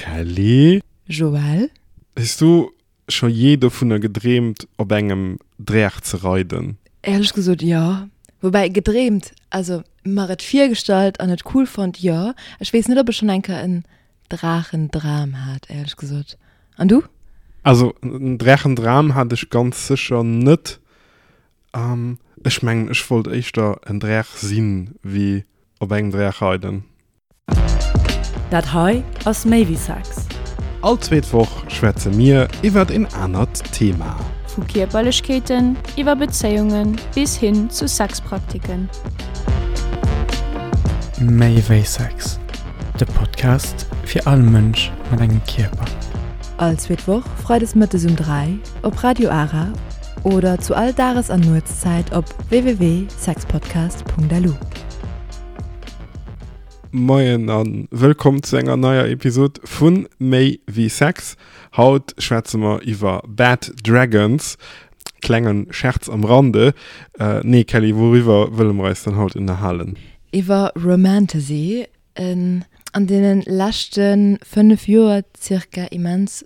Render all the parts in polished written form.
Kelly. Joël. Hues du scho jee dovunner gedreemt op engem Draach ze reiden? Éierlech gesot jo. Woubäi gedreemt, also mer et virgestallt an et cool fonnt, jo. Ech weess net ob ech schonn eng Kéier en Draachendram hat, éierlech gesot. An du? Also en Draachendram hat ech ganz sécher net. Ech mengen ech wollt éischter en Draach sinn wéi op engem Draach reiden. Dat hei ass méi wéi Sex. All zweet Woch schwätze mir iwwert een anert Thema. Vu Kierperlechkeeten iwwer Bezéiunge bis hin zu Sexpraktiken. Méi wéi Sex, de Podcast fir all Mënsch mat engem Kierper. All zweet Woch freides mëttes um 3 op Radio Ara oder zu all Dages an Nuetszäit op www.sexpodcast.lu. Moien a wëllkomm zu enger neier Episod vu Méi wéi Sex. Haut schwätze mer iwwer Bad Dragons. Klengen Scherz am Rande. Nee Kelly, wouriwwer wëlle mer eis dann haut ënnerhalen? Iwwer Romantasy, en an deene leschte 5 Joer zirka immens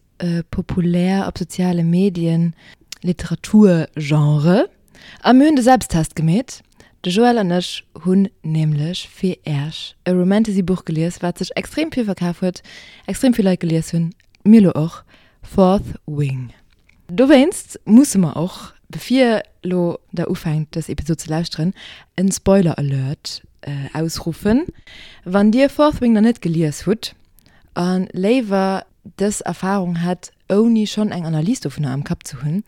populär op soziale Medien Literaturgenre. A mir hunn de Selbsttest gemeet. De Joël an ech hunn nämlech fir Äerch e Romantasy-Buch gelies, wat sech extrem vill verkaf huet, extrem vill Leit gelies hunn, mir lo och, Fourth Wing. Dowéinst musse mer och, bevir lo der ufänkt dës Episod ze lauschteren, en Spoiler Alert ausruffen. Wann dir Fourth Wing nach net gelies hutt a léiwer dës Erfarung hätt ouni schonn eng Analys dovunner am Kapp ze hunn,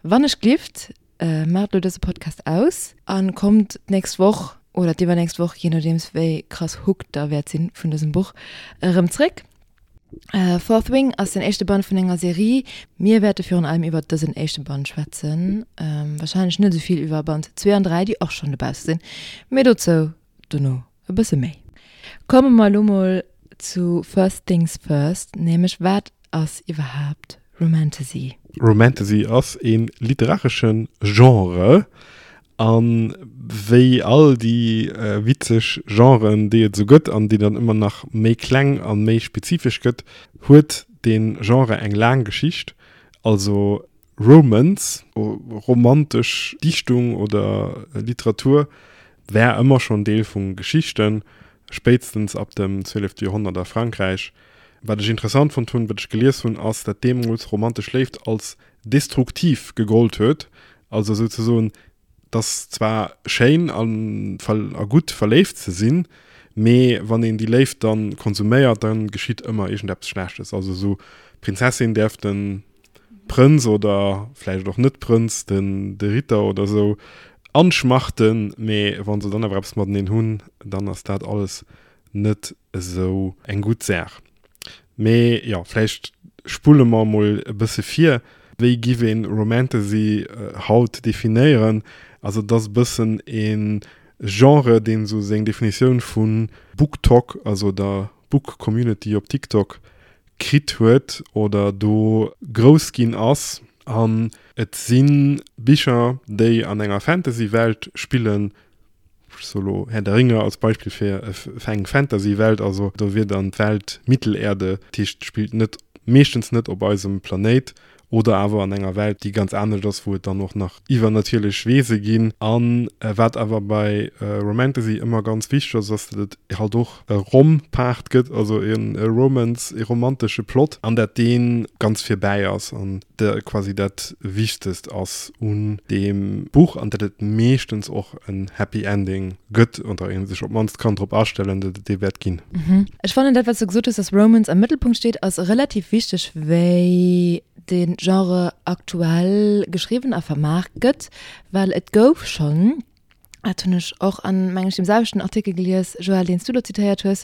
wann ech glift, maacht elo dëse Podcast aus a kommt d'nächst Woch oder d'iwwernächst Woch, jee nodeems wéi krass hooked der wäert sinn vun dësem Buch, erëm zréck. Fourth Wing ass den éischte Band vun enger Serie. Mir wäerte virun allem iwwert dësen éischte Band schwätzen, warscheinlech net esou vill iwwer Band 2 an 3, déi och schonn dobausse sinn, mee dozou dono e bësse méi. Komme mer elo mol zu First Things First, nämlech wat ass iwwerhaapt Romantasy? Romantasy ass ee literaresche Genre a wéi all déi witzeg Genren, déi et esou gëtt an déi dann ëmmer nach méi kleng a méi spezifesch gëtt, huet dee Genre eng laang Geschicht. Also Romance, romantesch Dichtung oder Literatur, war ëmmer schonn Deel vu Geschichten, spéitstens ab dem 12. Joerhonnert a Frankräich. Wat ech interessant fonnt hunn, wat ech gelies hunn, ass, dat deemools romantesch Léift als destruktiv gegollt huet, also souzesoen, 't ass zwar schéin a gutt verléift ze sinn, mee wann een déi Léift dann konsuméiert, dann geschitt ëmmer iergendeppes Schlechtes. Also esou d'Prinzessin däerf den Prënz oder vläicht och net Prënz, den de Ritter oder esou anschmachten, mee wann se dann awer eppes mateneen hunn, dann ass dat alles net esou eng gutt Saach. Mee jo, vläicht spulle mer emol e bësse vir. Wéi giff een Romantasy haut definéieren? Also et ass e bëssen e Genre, deen esou seng Definitioun vu BookTok, also der Book Community op TikTok, kritt huet oder do grouss ginn ass. An et si Bicher, déi an enger Fantasy-Welt spillen. Ech soe lo Herr der Ringe als Beispill fir eng Fantasy-Welt. Also do wier dann d'Welt Mittelerde, dat heescht spillt net, meeschtens net op eisem Planéit, Oder awer an enger Welt, déi ganz anescht ass, wou et dann och nach iwwernatierlech Wese ginn. A wat awer bei Romantasy ëmmer ganz wichteg ass, ass, datt et halt och e Rom-Part gëtt, also e Romance, e romantesche Plot, an dat dee ganz virbäi ass an quasi dat Wichtegst ass un deem Buch, an datt et meeschtens och en Happy Ending gëtt, oder ee sech op d'mannst kann drop astellen, datt et dee wäert ginn. Ech fannen dat wat s du gesot hues, dass Romance am Mëttelpunkt steet, ass relativ wichteg wéi de Genre aktuell geschriwwen a vermaart gëtt, well et gouf schonn, dat hunn ech och an meng ech deem selwechten Artikel gelies, Joël, deen s du do zitéiert hues,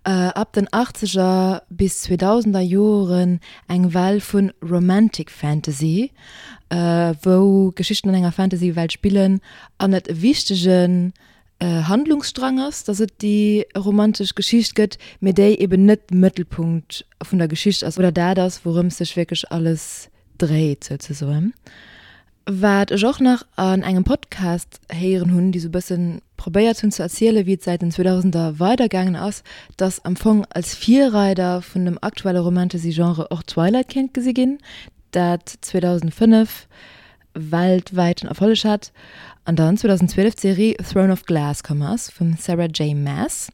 ab den achtzeger bis zweedausender Joren eng Well vu Romantic Fantasy, wou Geschichten an enger Fantasy-Welt spillen an et e wichtegen Handlungsstrang ass, dass et déi romantesch Geschicht gëtt, mee déi eben net Mëttelpunkt vun der Geschicht ass oder dat ass, wourëms sech wierklech alles dréit souzesoen. Wat ech och nach an engem Podcast héieren hunn, déi sou e bëssen. probéiert hunn ze erzielen, wéi et säit den 2000er weidergaangen ass, dass am Fong als Virreider vun dem aktuelle Romantasy-Genre och Twilight kéint gesi ginn, dat 2005 weltwäiten Erfolleg hat an dann 2012 d'Serie Throne of Glass komm ass vum Sarah J. Maas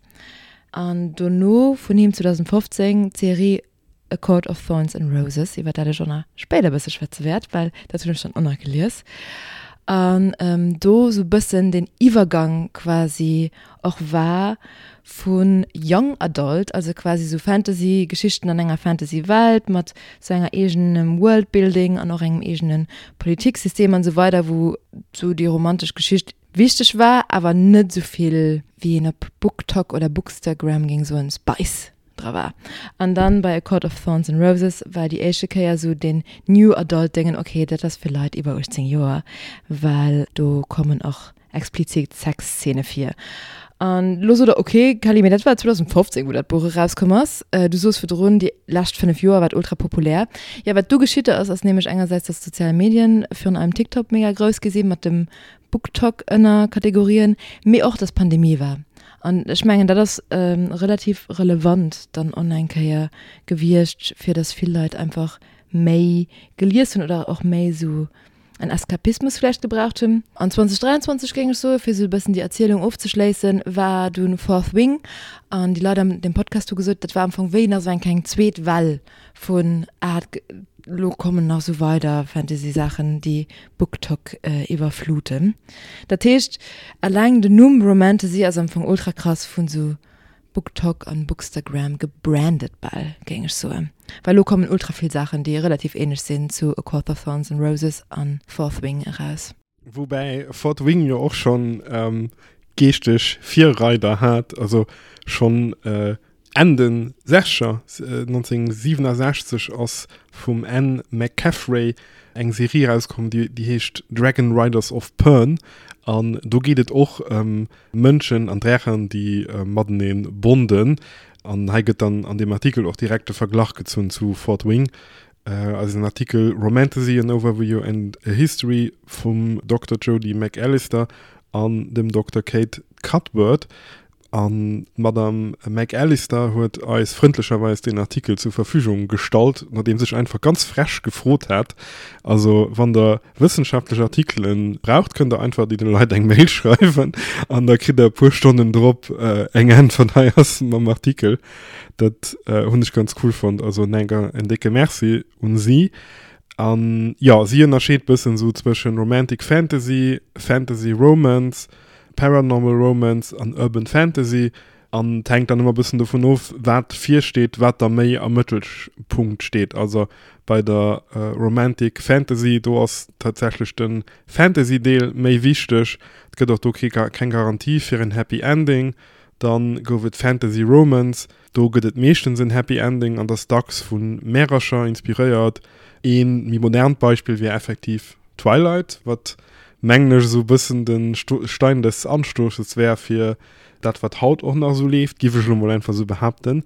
an dono vun him 2015 d'Serie A Court of Thorns and Roses, iwwer dat ech och nach spéider e bësse schwätze wäert, well dat hunn ech dann och nach gelies. An do sou bëssen den Iwwergang quasi och war vu Young Adult, also quasi sou Fantasy-Geschichten an enger Fantasy-Welt mat sou enger eegenem Worldbuilding an och engem eegene Politiksystem an esou weider, wou sou déi romantesch Geschicht wichteg war, awer net esou vill, wéi een op BookTok oder Bookstagram géing soen, Spice dra war. An dann bei A Court of Thorns and Roses war déi éischte Kéier sou den New Adult Déngen, okay, dat ass fir Leit iwwer 18 Joer, well do kommen och explizit Sexszene vir. An lo sot der, ok Kelly, mee dat war 2015, wou dat Buch erauskomm ass. Du soos virdrun, déi lescht 5 Joer war et ultra populär. Jo, wat du geschitt ass, ass nämlech engersäits, dass d'sozial Medien, virun allem TikTok, mega grouss gi sinn, mat dem BookTok Ënnerkategorien, mee och, dass Pandemie war. An ech mengen, dat ass relativ relevant dann och nach eng Kéier gewiescht, fir dass vill Leit einfach méi gelies hunn oder och méi esou en Eskapismus vläicht gebraucht hunn. An 2023, géing ech soen, fir esou e bëssen déi Erzielung ofzeschléissen, war dunn Fourth Wing an déi Leit an deem Podcast hu gesot, dat war am Fong wéi nach esou eng kleng zweet Well vun, ah, elo kommen nach esou weider Fantasy-Saachen, déi BookTok iwwerfluten. Dat heescht, eleng den Numm Romantasy ass am Fong ultra krass vun esou BookTok an Bookstagram gebrandet bal, géing ech soen. Well elo kommen ultra vill Saachen, déi relativ ähnlech sinn zu A Court of Thorns and Roses an Fourth Wing eraus. Woubäi Fourth Wing jo och schonn geeschteg Virreider hat, also schonn Enn den Sechzeger, 1967 ass vum Anne McCaffrey eng Serie erauskomm, déi heescht Dragon Riders of Pern an do geet et och ëm Mënschen an Drächen, déi matenee bonden. An hei gëtt dann an deem Artikel och direkt de Verglach gezunn zu Fourth Wing. Also den Artikel Romantasy, an Overview and a History vum Dokter Jody McAllister an dem Dokter Kate Cuthbert. An d'Madame McAllister huet eis frëndlecherweis deen Artikel zur Verfügung gestallt, nodeems ech einfach ganz frech gefrot hat. Also wann der wëssenschaftlech Artikelen braucht, kënnt der einfach deene Leit eng Mail schreiwen an da kritt der e puer Stonnen drop eng Äntwert, hei ass mam Artikel. Dat hunn ech ganz cool fonnt. Also en décke Merci un si. An jo, si ënnerscheet bëssen esou zwëschen Romantic Fantasy, Fantasy Romance, Paranormal Romance an Urban Fantasy an et hänkt dann ëmmer bëssen dovun of, wat virsteet, wat da méi am Mëttelpunkt steet. Also bei der Romantic Fantasy, do ass tatsächlech de Fantasy-Deel méi wichteg. Et gëtt och do kee keng Garantie fir en Happy Ending. Dann gouf et Fantasy Romance, do gëtt et meeschtens en Happy Ending an ass dacks vu Märercher inspiréiert. Ee méi modernt Beispill wier effektiv Twilight, wat mengen ech esou e bëssen de Stein des Anstoßes wär fir dat wat haut och nach esou leeft, giff ech elo mol einfach esou behaapten.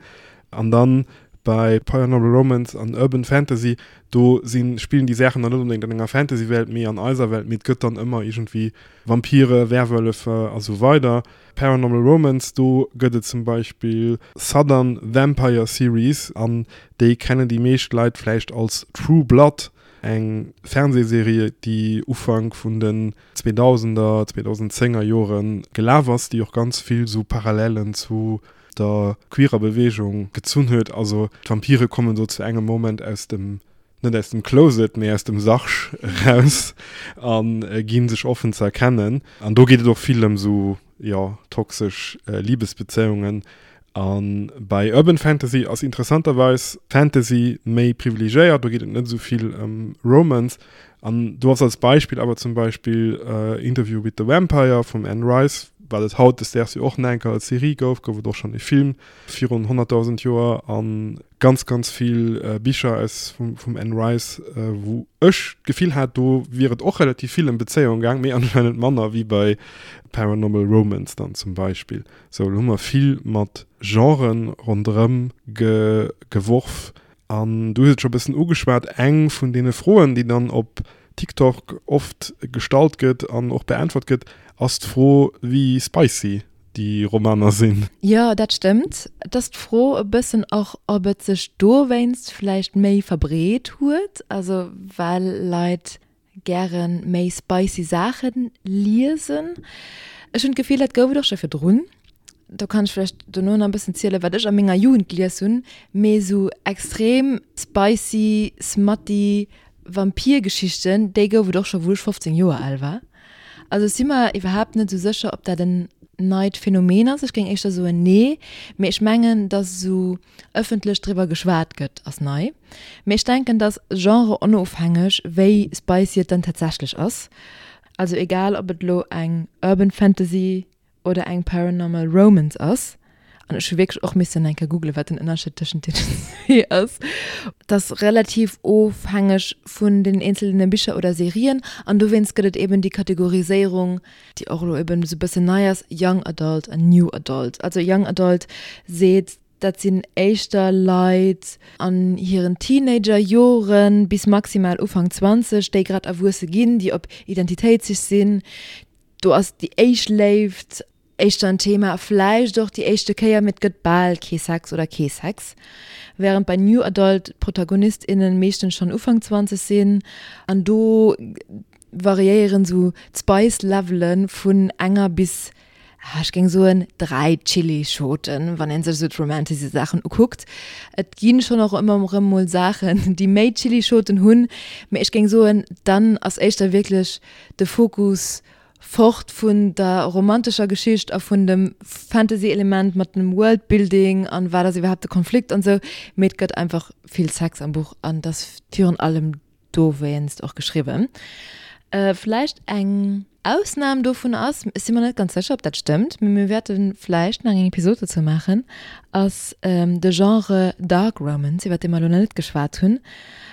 An dann bei Paranormal Romance an Urban Fantasy, do sinn, spillen déi Saachen dann net onbedéngt an enger Fantasy-Welt, mee an eiser Welt, mee et gëtt dann ëmmer iergendwéi Vampire, Werwölfe a sou weider. Paranormal Romance, do gëtt et zum Beispill Southern Vampire Series an déi kennen déi meescht Leit vläicht als True Blood, Eng Fernsehserie, déi Ufank vun den 2000er, 2010er Jore gelaf ass, déi och ganz vill sou Parallelen zu der queerer Beweegung gezunn huet. Also d'Vampire kommen do zu engem Moment aus dem, net aus dem Closet, mee aus dem Sarg eraus a gi sech offen ze erkennen. An do geet et och vill ëm sou, jo, toxesch Libesbezéiungen. A bei Urban Fantasy ass interessanterweis Fantasy méi privilegiéiert, do geet et net esou vill ëm Romance. An do ass als Beispill awer zum Beispill Interview with the Vampire vum Anne Rice, wat et hautdesdaags jo och nach eng Kéier als Serie gouf, gouf et och schonn e Film virun 100.000 Joer a ganz, ganz vill Bicher aus vum Anne Rice, wou ech d'Gefill hat, do wier et och relativ vill ëm Bezéiung gaang, mee anscheinend manner wéi bei Paranormal Romance dann zum Beispill. Sou, elo hu mer vill mat Genren ronderëm geworf. An du hues et scho e bëssen ugeschwat, eng vun deene Froen, déi dann op. TikTok oft gestallt gëtt an och beäntwert gëtt, ass d'Fro, wéi spicy déi Romaner sinn. Jo, dat stëmmt. Et ass d'Fro e bëssen och, ob et sech dowéinst vläicht méi verbreet huet, also well Leit gäre méi spicy Saache liesen. Ech hunn d'Gefill, dat gouf et och scho virdrun. Do kann ech vläicht dono nach e bëssen zielen, wat ech a menger Jugend gelies hunn, mee esou extrem spicy, smutty Vampirgeschichten, déi gouf et och scho wou ech 15 Joer al war. Also ech si mer iwwerhaapt net esou sécher, ob dat en neit Phänomen ass. Ech géing éischter soen nee, mee ech mengen, datt esou ëffentlech driwwer geschwat gëtt, ass nei. Mee ech denken, datt genre-onofhängeg, wéi spicy et dann tatsächlech ass, also egal ob et elo eng Urban Fantasy oder eng Paranormal Romance ass, an ech hu wierklech och missen eng Kéier googlen, wat den Ënnerscheed tëschent deenen zwee ass, et ass relativ ofhängeg vun den eenzelne Bicher oder Serien an dowéinst gëtt et eben déi Kategoriséierung, déi och elo eben esou e bëssen nei ass, Young Adult an New Adult. Also Young Adult seet, dat sinn éischter Leit an hiren Teenager-Joren bis maximal Ufank 20, déi grad erwuesse ginn, déi op Identitéitssich sinn, Do ass déi éischt Léift éischter en Thema, vläicht och déi éischte Kéier, mee et gëtt bal kee Sex oder kee Sex. Wärend bei New Adult d'Protagonist, innen meeschtens schonn Ufank 20 sinn an do variéieren esou d'Spice-Levele vun enger bis, ech géing soen, 3 Chillischoten, wann ee sech esou d'Romantasy-Saachen ukuckt. Et gi schonn och ëmmer erëm mol Saachen, déi méi Chillischoten hunn, mee ech géing soen, dann ass éischter wierklech de Fokus fort vun der romantescher Geschicht a vun dem Fantasy-Element mat dem Worldbuilding an wat ass iwwerhaapt de Konflikt an sou, mee et gëtt einfach vill Sex am Buch an et ass virun allem dowéinst och geschriwwen. Vläicht eng Ausnam dovun ass, ech si mer net ganz sécher ob dat stëmmt, mee mir wäerte vläicht nach eng Episod dozou maachen, ass de Genre Dark Romance, iwwer dee mer elo nach net geschwat hunn.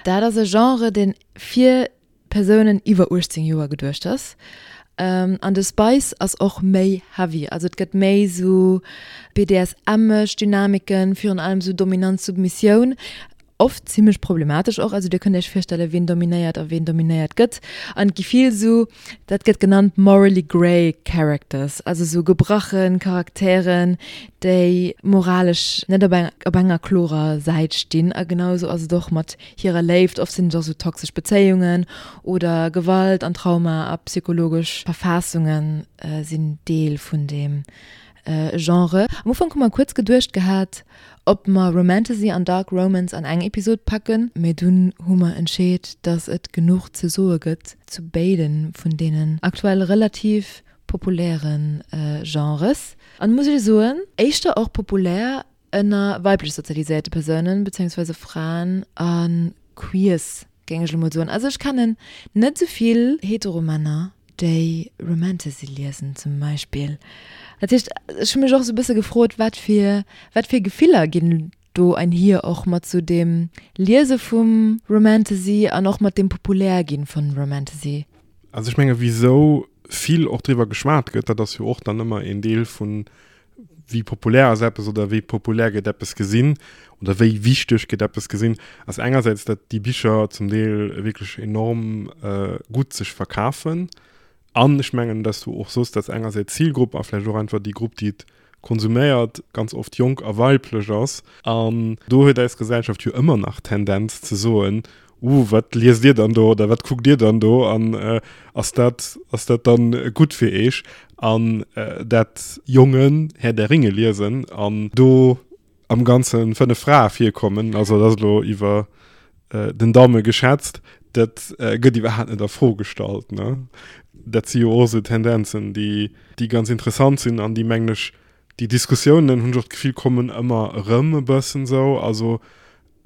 Dat ass e Genre, deen fir Persounen iwwer 18 Joer geduecht ass. An de Spice ass och méi heavy, also et gëtt méi sou BDSM-esch Dynamiken, virun allem sou Dominanz-Submissioun, oft zimmlech problematesch och. Also dir kënnt iech virstellen, wien dominéiert a wien dominéiert gëtt. An et gi vill sou, dat gëtt genannt morally grey characters, also sou gebrache Charakteren, déi moralesch net op op enger klorer Säit stinn. A genau sou ass et och mat hirer Léift. Oft sinn et och sou toxesch Bezéiungen oder Gewalt an Trauma a psychologesch Verfaassunge sinn Deel vun deem Genre. Am Ufank hu mer kuerz geduecht gehat, ob mer Romantasy an Dark Romance an eng Episod packen, mee dunn hu mer entscheet, dass et genuch ze soe gëtt zu béide vun deenen aktuell relativ populäre Genres. An muss ech soen, éischter och populär Ënner weiblech sozialiséierte Persounen, bezéiungsweise Fraen a Queers, géing ech elo mol soen. Also ech kennen net esou vill hetero Männer, déi Romantasy liesen zum Beispill. Dat heescht, ech hu mech och esou e bësse gefrot, wat fir, wat fir Gefiller ginn do einhier och mat sou dem Liese vum Romantasy an och mat dem Populärginn vun Romantasy. Also ech menge wisou vill och driwwer geschwat gëtt, dat ass jo och dann ëmmer een Deel vun wéi populär ass eppes oder wéi populär gëtt eppes gesinn oder wéi wichteg gëtt eppes gesinn, ass engersäits, datt déi Bicher zum Deel wierklech enorm gutt sech verkafen. An ech mengen, datt s du och soss, datt engersäits d'Zilgrupp a vläicht och einfach déi Grupp, déi et konsuméiert, ganz oft jonk a weiblech ass. An do huet eis Gesellschaft jo ëmmer nach d'Tendenz ze soen, Uh, wat liest Dir dann do oder wat kuckt Dir dann do an ass dat, ass dat dann gutt fir Eech? An dat Jongen Herr der Ringe liesen an do am Ganze 5 Frae virkommen, also dat ass elo iwwer den Daume geschätzt, dat gëtt iwwerhaapt net a Fro gestallt, ne? Dat si jo och esou Tendenzen, déi, déi ganz interessant sinn an déi, mengen ech, déi Diskussiounen, hunn ech och d'Gefill, kommen ëmmer erëm e bëssen esou. Also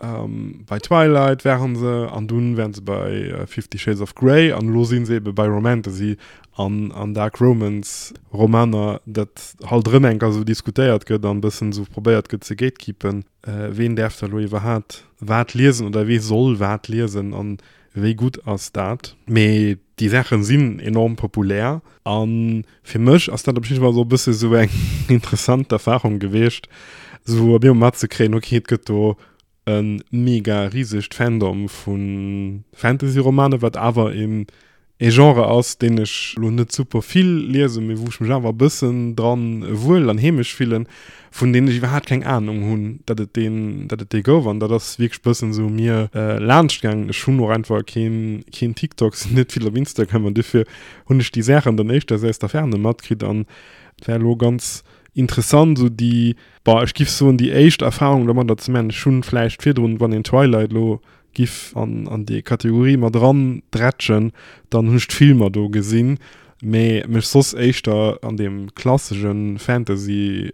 Bei Twilight waren se an dunn waren se bei Fifty Shades of Grey an elo sinn se ebe bei Romantasy an an Dark Romance Romaner, dat halt erëm eng Kéier esou diskutéiert gëtt an e bëssen esou probéiert gëtt ze gatekeepen, ween däerf da elo iwwerhaat wat liesen oder wee soll wat liesen an wéi gutt ass dat. Mee déi Saachen sinn enorm populär an fir mech ass dat op jidde Fall esou e bësse sou eng interessant Erfahrung gewiescht, esou op eemol matzekréien, okay et gëtt do. E mega risegt Fandom vu Fantasy-Romanen, wat awer een ee Genre ass, deen ech lo net super vill liesen, mee wou ech mech awer e bëssen dran wuel an heemesch fillen, vun deenen ech iwwerhaapt keng Anung hunn, datt et deen, datt et dee gouf. An dat ass wierklech bëssen esou u mir laanscht gaangen. Ech hunn och einfach keen, keen TikTok, sinn net vill op Instagram an dofir hunn ech déi Saachen dann éischters aus der Ferne matkritt an et war elo ganz interessant esou déi, bon, ech giff soen déi éischt Erfahrung domadder ze man. Ech hunn vläicht virdrun, wann een Twilight elo giff an an déi Kategorie mat eran dretschen, dann hunn ech d'Filmer do gesinn, mee mech soss éischter an deem klassesche Fantasy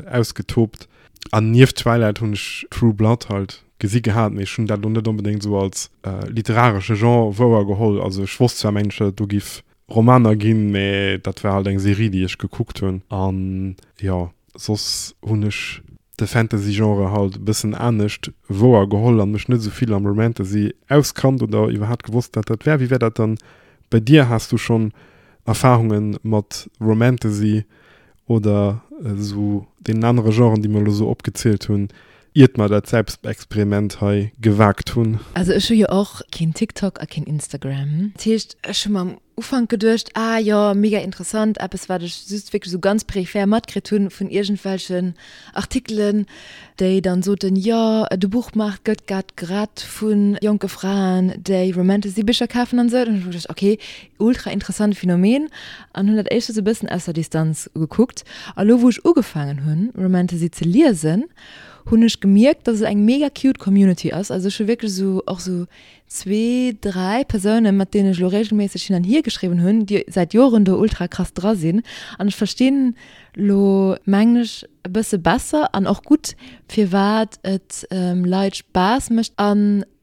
ausgetobt. An nieft Twilight hunn ech True Blood halt gesi gehat, mee ech hunn dat elo net onbedéngt esou als literaresche Genre wouergeholl. Also ech wosst zwar mengen ech, datt et do giff Romaner ginn, mee dat war halt eng Serie déi ech gekuckt hunn. An jo, soss hunn ech de Fantasy-Genre halt e bëssen anescht wouer geholl an mech net esou vill am Romantasy auskannt oder iwwerhaapt gewosst wat dat wär. Wéi wär dat dann bei dir? Has du schonn Erfahrungen mat Romantasy oder esou deenen anere Genren déi mer elo esou opgezielt hunn, iert mer dat Selbstexperiment hei gewagt hunn? Also ech hu jo och keen TikTok a keen Instagram. Dat heescht ech hu mer am Ufank geduecht, ah jo, mega interessant, eppes wat ech just wierklech esou ganz peripher matkritt hunn vun iergendwelchen Artikelen, déi dann soten, jo, de Buchmaart gëtt grad gerett vu jonke Fraen, déi Romantasy-Bicher kafen an esou. Dann hunn ech mer geduecht, okay, ultra interessant Phänomen an hunn dat éischter esou e bëssen aus der Distanz gekuckt. A lo wou ech ugefaangen hunn, Romantasy ze liesen, hunn ech gemierkt, dass et eng mega cute Community ass. Also ech hu wierklech esou och esou zwee, dräi Persounen, mat deenen ech elo regelméisseg hin an hier geschriwwen hunn, déi säit Joren do ultra krass dra sinn. An ech verstinn elo, mengen ech, e bësse besser an och gutt, firwat et Leit Spaass mécht a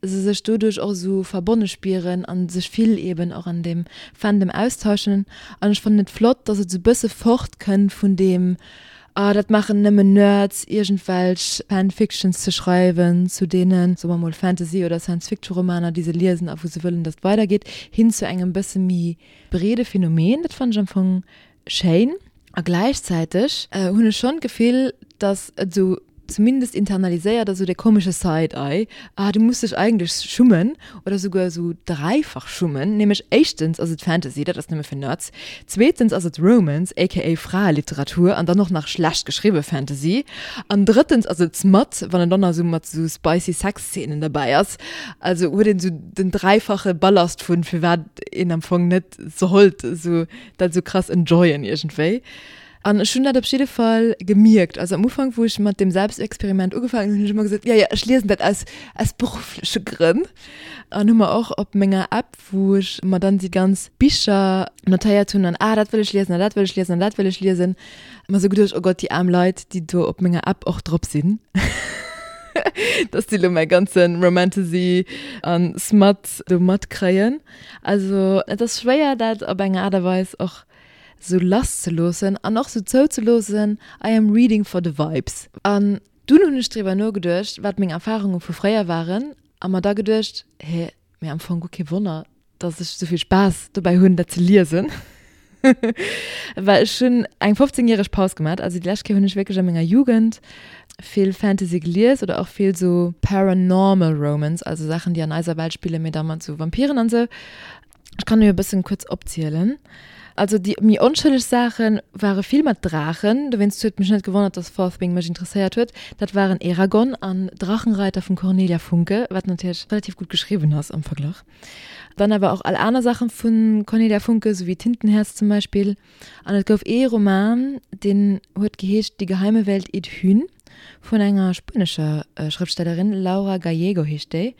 se sech doduerch och esou verbonne spieren a sech vill eeben och an deem Fandom austauschen. An ech fannen et flott, dass et esou e bësse fortkënnt vun deem Ah, dat maachen nëmmen Nerds, iergendwelch Fanfictions ze schreiwen zu deenen, soe mer mol, Fantasy oder Science-Fiction-Romaner, déi se liesen a wou se wëllen, datt et weidergeet, hin zu engem bësse méi breede Phänomen. Dat fannen ech am Fong schéin. A gläichzäiteg hunn ech schonn d'Gefill, datt et esou zumindest internaliséiert ass, esou dee komesche Side-Eye, ah, du muss dech eigentlech schummen oder souguer esou dräifach schummen, nämlech éischtens ass et Fantasy, dat ass nëmme fir Nerds, zweetens ass et Romance, aka Fraeliteratur an dann och nach schlecht geschriwwe Fantasy, an drëttens ass et Smut, wann et dann nach esou mat esou spicy Sex-Szenen derbäi ass. Also huet een esou den dräifache Ballast vun firwat een am Fong net sollt esou dat esou krass enjoyen iergendwéi. An ech hunn dat op jidde Fall gemierkt. Also am Ufank, wou ech mat deem Selbstexperiment ugefaangen hunn, hunn ech ëmmer gesot, jo, jo, ech liesen dat aus, aus beruffleche Grënn. An hu mer och op menger App, wou ech mer dann déi ganz Bicher notéiert hunn an, ah, dat wëll ech liesen an dat wëll ech liesen an dat wëll ech liesen, mer sou geduecht, oh Gott, déi aarm Leit, déi do op menger App och drop sinn, dass déi lo mäi ganze Romantasy an Smut do matkréien. Also et ass schwéier, dat op eng Aart a Weis och sou lass ze loossen an och sou zouzeloossen, I am reading for the vibes. An dunn hunn ech driwwer nogeduecht, wat meng Erfarunge vu fréier waren a mer da geduecht, hé, mee am Fong guer kee Wonner, dass ech sou vill Spaass dobäi hunn, dat ze liesen. Well ech hunn eng 15 järeg Paus gemat, also déi lescht Kéier hunn ech wierklech a menger Jugend vill Fantasy gelies oder och vill sou Paranormal Romance, also Saachen, déi an eiser Welt spillen, mee da mat sou Vampiren an sou. Ech kann jo e bëssen kuerz opzielen. Also déi méi onschëlleg Saache ware vill mat Draachen, dowéinst huet mech net gewonnert, dass Fourth Wing mech interesséiert huet. Dat waren Eragon an Drachenreiter vum Cornelia Funke, wat natierlech relativ gutt geschriwwen ass am Verglach. Dann awer och all aner Saache vu Cornelia Funke, sou wéi Tintenherz zum Beispill. An et gouf ee Roman, deen huet geheescht Die geheime Welt Idhyn vun enger spuenescher Schrëftstellerin, Laura Gallego heescht déi.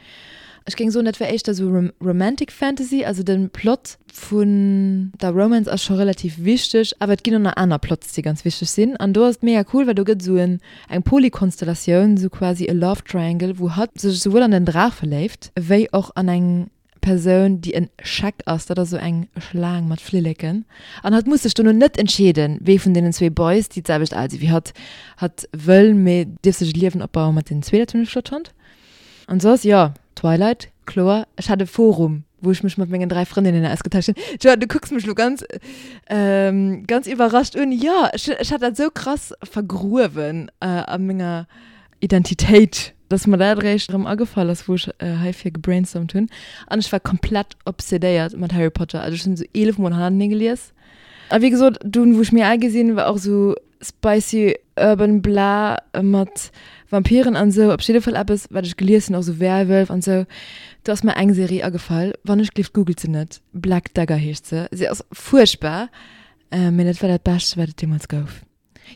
Ech géing soen, dat wär éischter esou Romantic Fantasy, also de Plot vun der Romance ass scho relativ wichteg, awer et ginn och nach aner Plots, déi ganz wichteg sinn. An do ass et mega cool, well do gëtt esou eng Polykonstellatioun, esou quasi e Love Triangle, wou hatt sech esouwuel an den Draach verléift, wéi och an eng Persoun, déi en Scheck ass, dat ass esou eng Schlaang mat Flilleken, an hatt muss sech dono net entscheeden, wee vun deenen zwee Boys, déi d'selwecht al si wéi hatt, hatt wëll, mee dierf sech e Liewen opbaue mat deenen zwee. Dat hunn ech flott fonnt. An soss, jo, Twilight, kloer. Ech hat e Forum, wou ech mech mat mengen 3 Frëndinnen ausgetauscht hunn. Joa, du kucks mech lo ganz, ganz iwwerrascht un. Jo, ech, ech hat dat esou krass vergruewen a menger Identitéit. Dass mer dat eréischt erëm agefall ass, wou ech heifir gebrainstormt hunn. An ech war komplett obsedéiert mat Harry Potter. Also ech hunn esou 11 mol hannertenee gelies. A wéi gesot, dunn, wou ech méi al gi sinn, war och esou spicy urban bla mat Vampiren an esou op jidde Fall eppes, wat ech gelies hunn, och esou Werwölf an esou. Do ass mer eng Serie agefall, wann ech gleeft googelt se net, Black Dagger heescht se. Se ass fuerchtbar, mee dat war dat Bescht, wat et deemools gouf.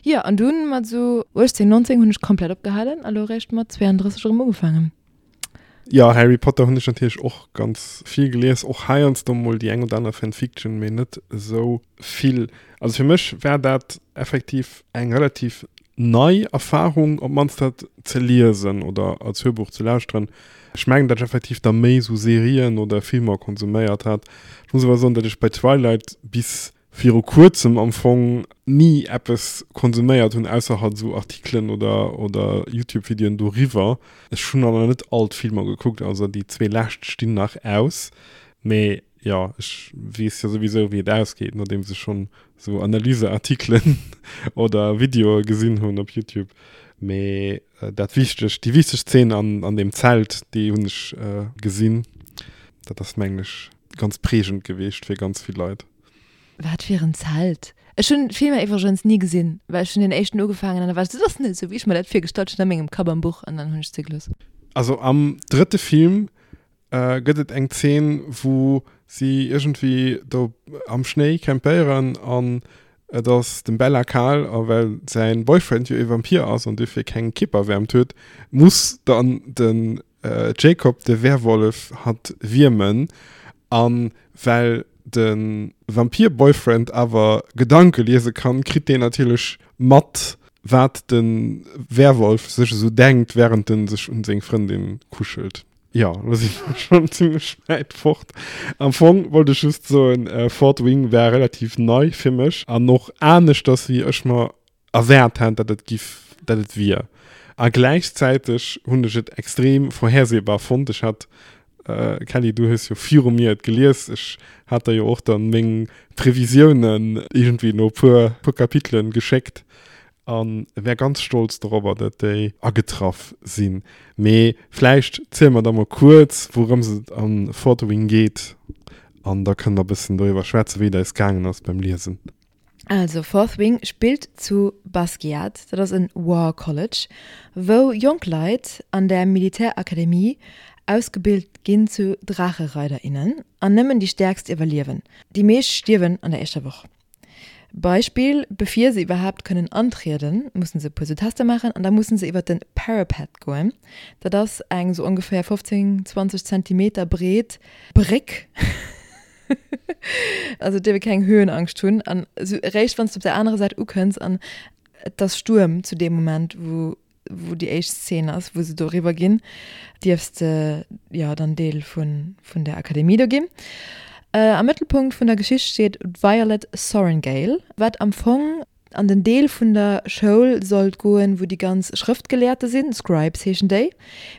Jo, an dunn mat esou 18, 19 hunn ech komplett opgehalen a lo eréischt mat 32 erëm ugefaangen. Jo, Harry Potter hunn ech natierlech och ganz vill gelies, och heiansdo mol déi eng oder aner Fanfiction, mee net esou vill. Also fir mech war dat effektiv eng relativ nei Erfarung, op d'mannst dat ze liesen oder als Hörbuch ze lauschteren. Ech mengen, datt ech effektiv da méi esou Serien oder Filmer konsuméiert hat. Ech muss awer soen, datt ech bei Twilight bis viru kuerzem am Fong ni eppes konsuméiert hunn, ausser halt esou Artikelen oder oder Youtube-Videoen doriwwer. Ech hunn awer net all d'Filmer gekuckt, also déi zwee lescht stinn nach aus. Mee jo, ech weess jo souwisou wéi et ausgeet, nodeems ech schonn esou Analyseartikelen oder Videoe gesinn hunn op Youtube. Mee dat wichtegt, déi wichteg Zeen an an deem Zelt, déi hunn ech gesinn. Dat ass mengen ech ganz prägend geweecht fir ganz vill Leit. Wat fir en Zelt? Ech hunn d'Filmer iwwregens ni gesinn, well ech hunn deen éischten ugefaangen an da war ech sou, dat ass net esou wéi ech mer dat virgestallt hunn a mengem Kapp am Buch an dann hunn ech se gelooss. Also am drëtte Film gëtt et eng Zeen, wou si iergendwéi do am Schnéi campéieren an et ass dem Bella kal a well säin Boyfriend jo ee Vampir ass an duerfir keng Kierperwäermt huet, muss dann den Jacob de Werwollef hatt wiermen an well de Vampir-Boyfriend awer Gedanke liese kann, kritt deen natierlech mat wat de Werwolf sech esou denkt wärend en sech un seng Frëndin kuschelt. Jo, lo si mer schonn zimmlech wäit fort. Am Fong wollt ech just soen, Fourth Wing war relativ nei fir mech an och aneschters wéi ech mer erwaart hat, datt et giff, datt et wier. A gläichzäiteg hunn ech et extrem vorhersehbar fonnt. Ech hat, Kelly, du hues jo viru mir et gelies, ech hat der jo och dann meng Previsiounen iergendwéi no puer, puer Kapitelen geschéckt a wär ganz stolz dorobber, datt déi agetraff sinn. Mee vläicht ziele mer da mol kuerz, wourëms et a Fourth Wing geet an da kënne mer e bëssen doriwwer schwätzen, wéi et eis gaangen ass beim Liesen. Also Fourth Wing spillt zu Basgiath, dat ass en War College, wou jonk Leit an der Militärakademie ausgebilt ginn zu Draachereiderinnen an nëmmen déi Stäerkst iwwerliewen. Déi meescht stierwen an der éischter Woch. Beispill, Bevir se iwwerhaapt kënnen antrieden, mussen se e puer sou Tester maachen an da mussen se iwwer de Parapet goen. Dat ass eng sou ongeféier 15, 20 Zentimeter breet Bréck. Also et dierf ee keng Höhenangscht hunn an esou eréischt wann s de op der anerer Säit ukënns an et ass Stuerm zu deem Moment wou wou déi éischt Szene ass wou se doriwwer ginn, dierfs de jo dann Deel vun vun der Akademie do ginn. Am Mëttelpunkt vun der Geschicht steet d'Violet Sorrengail, wat am Fong an den Deel vun der Schoul sollt goen, wou déi ganz Schrëftgelehrte sinn, Scribes heeschen déi,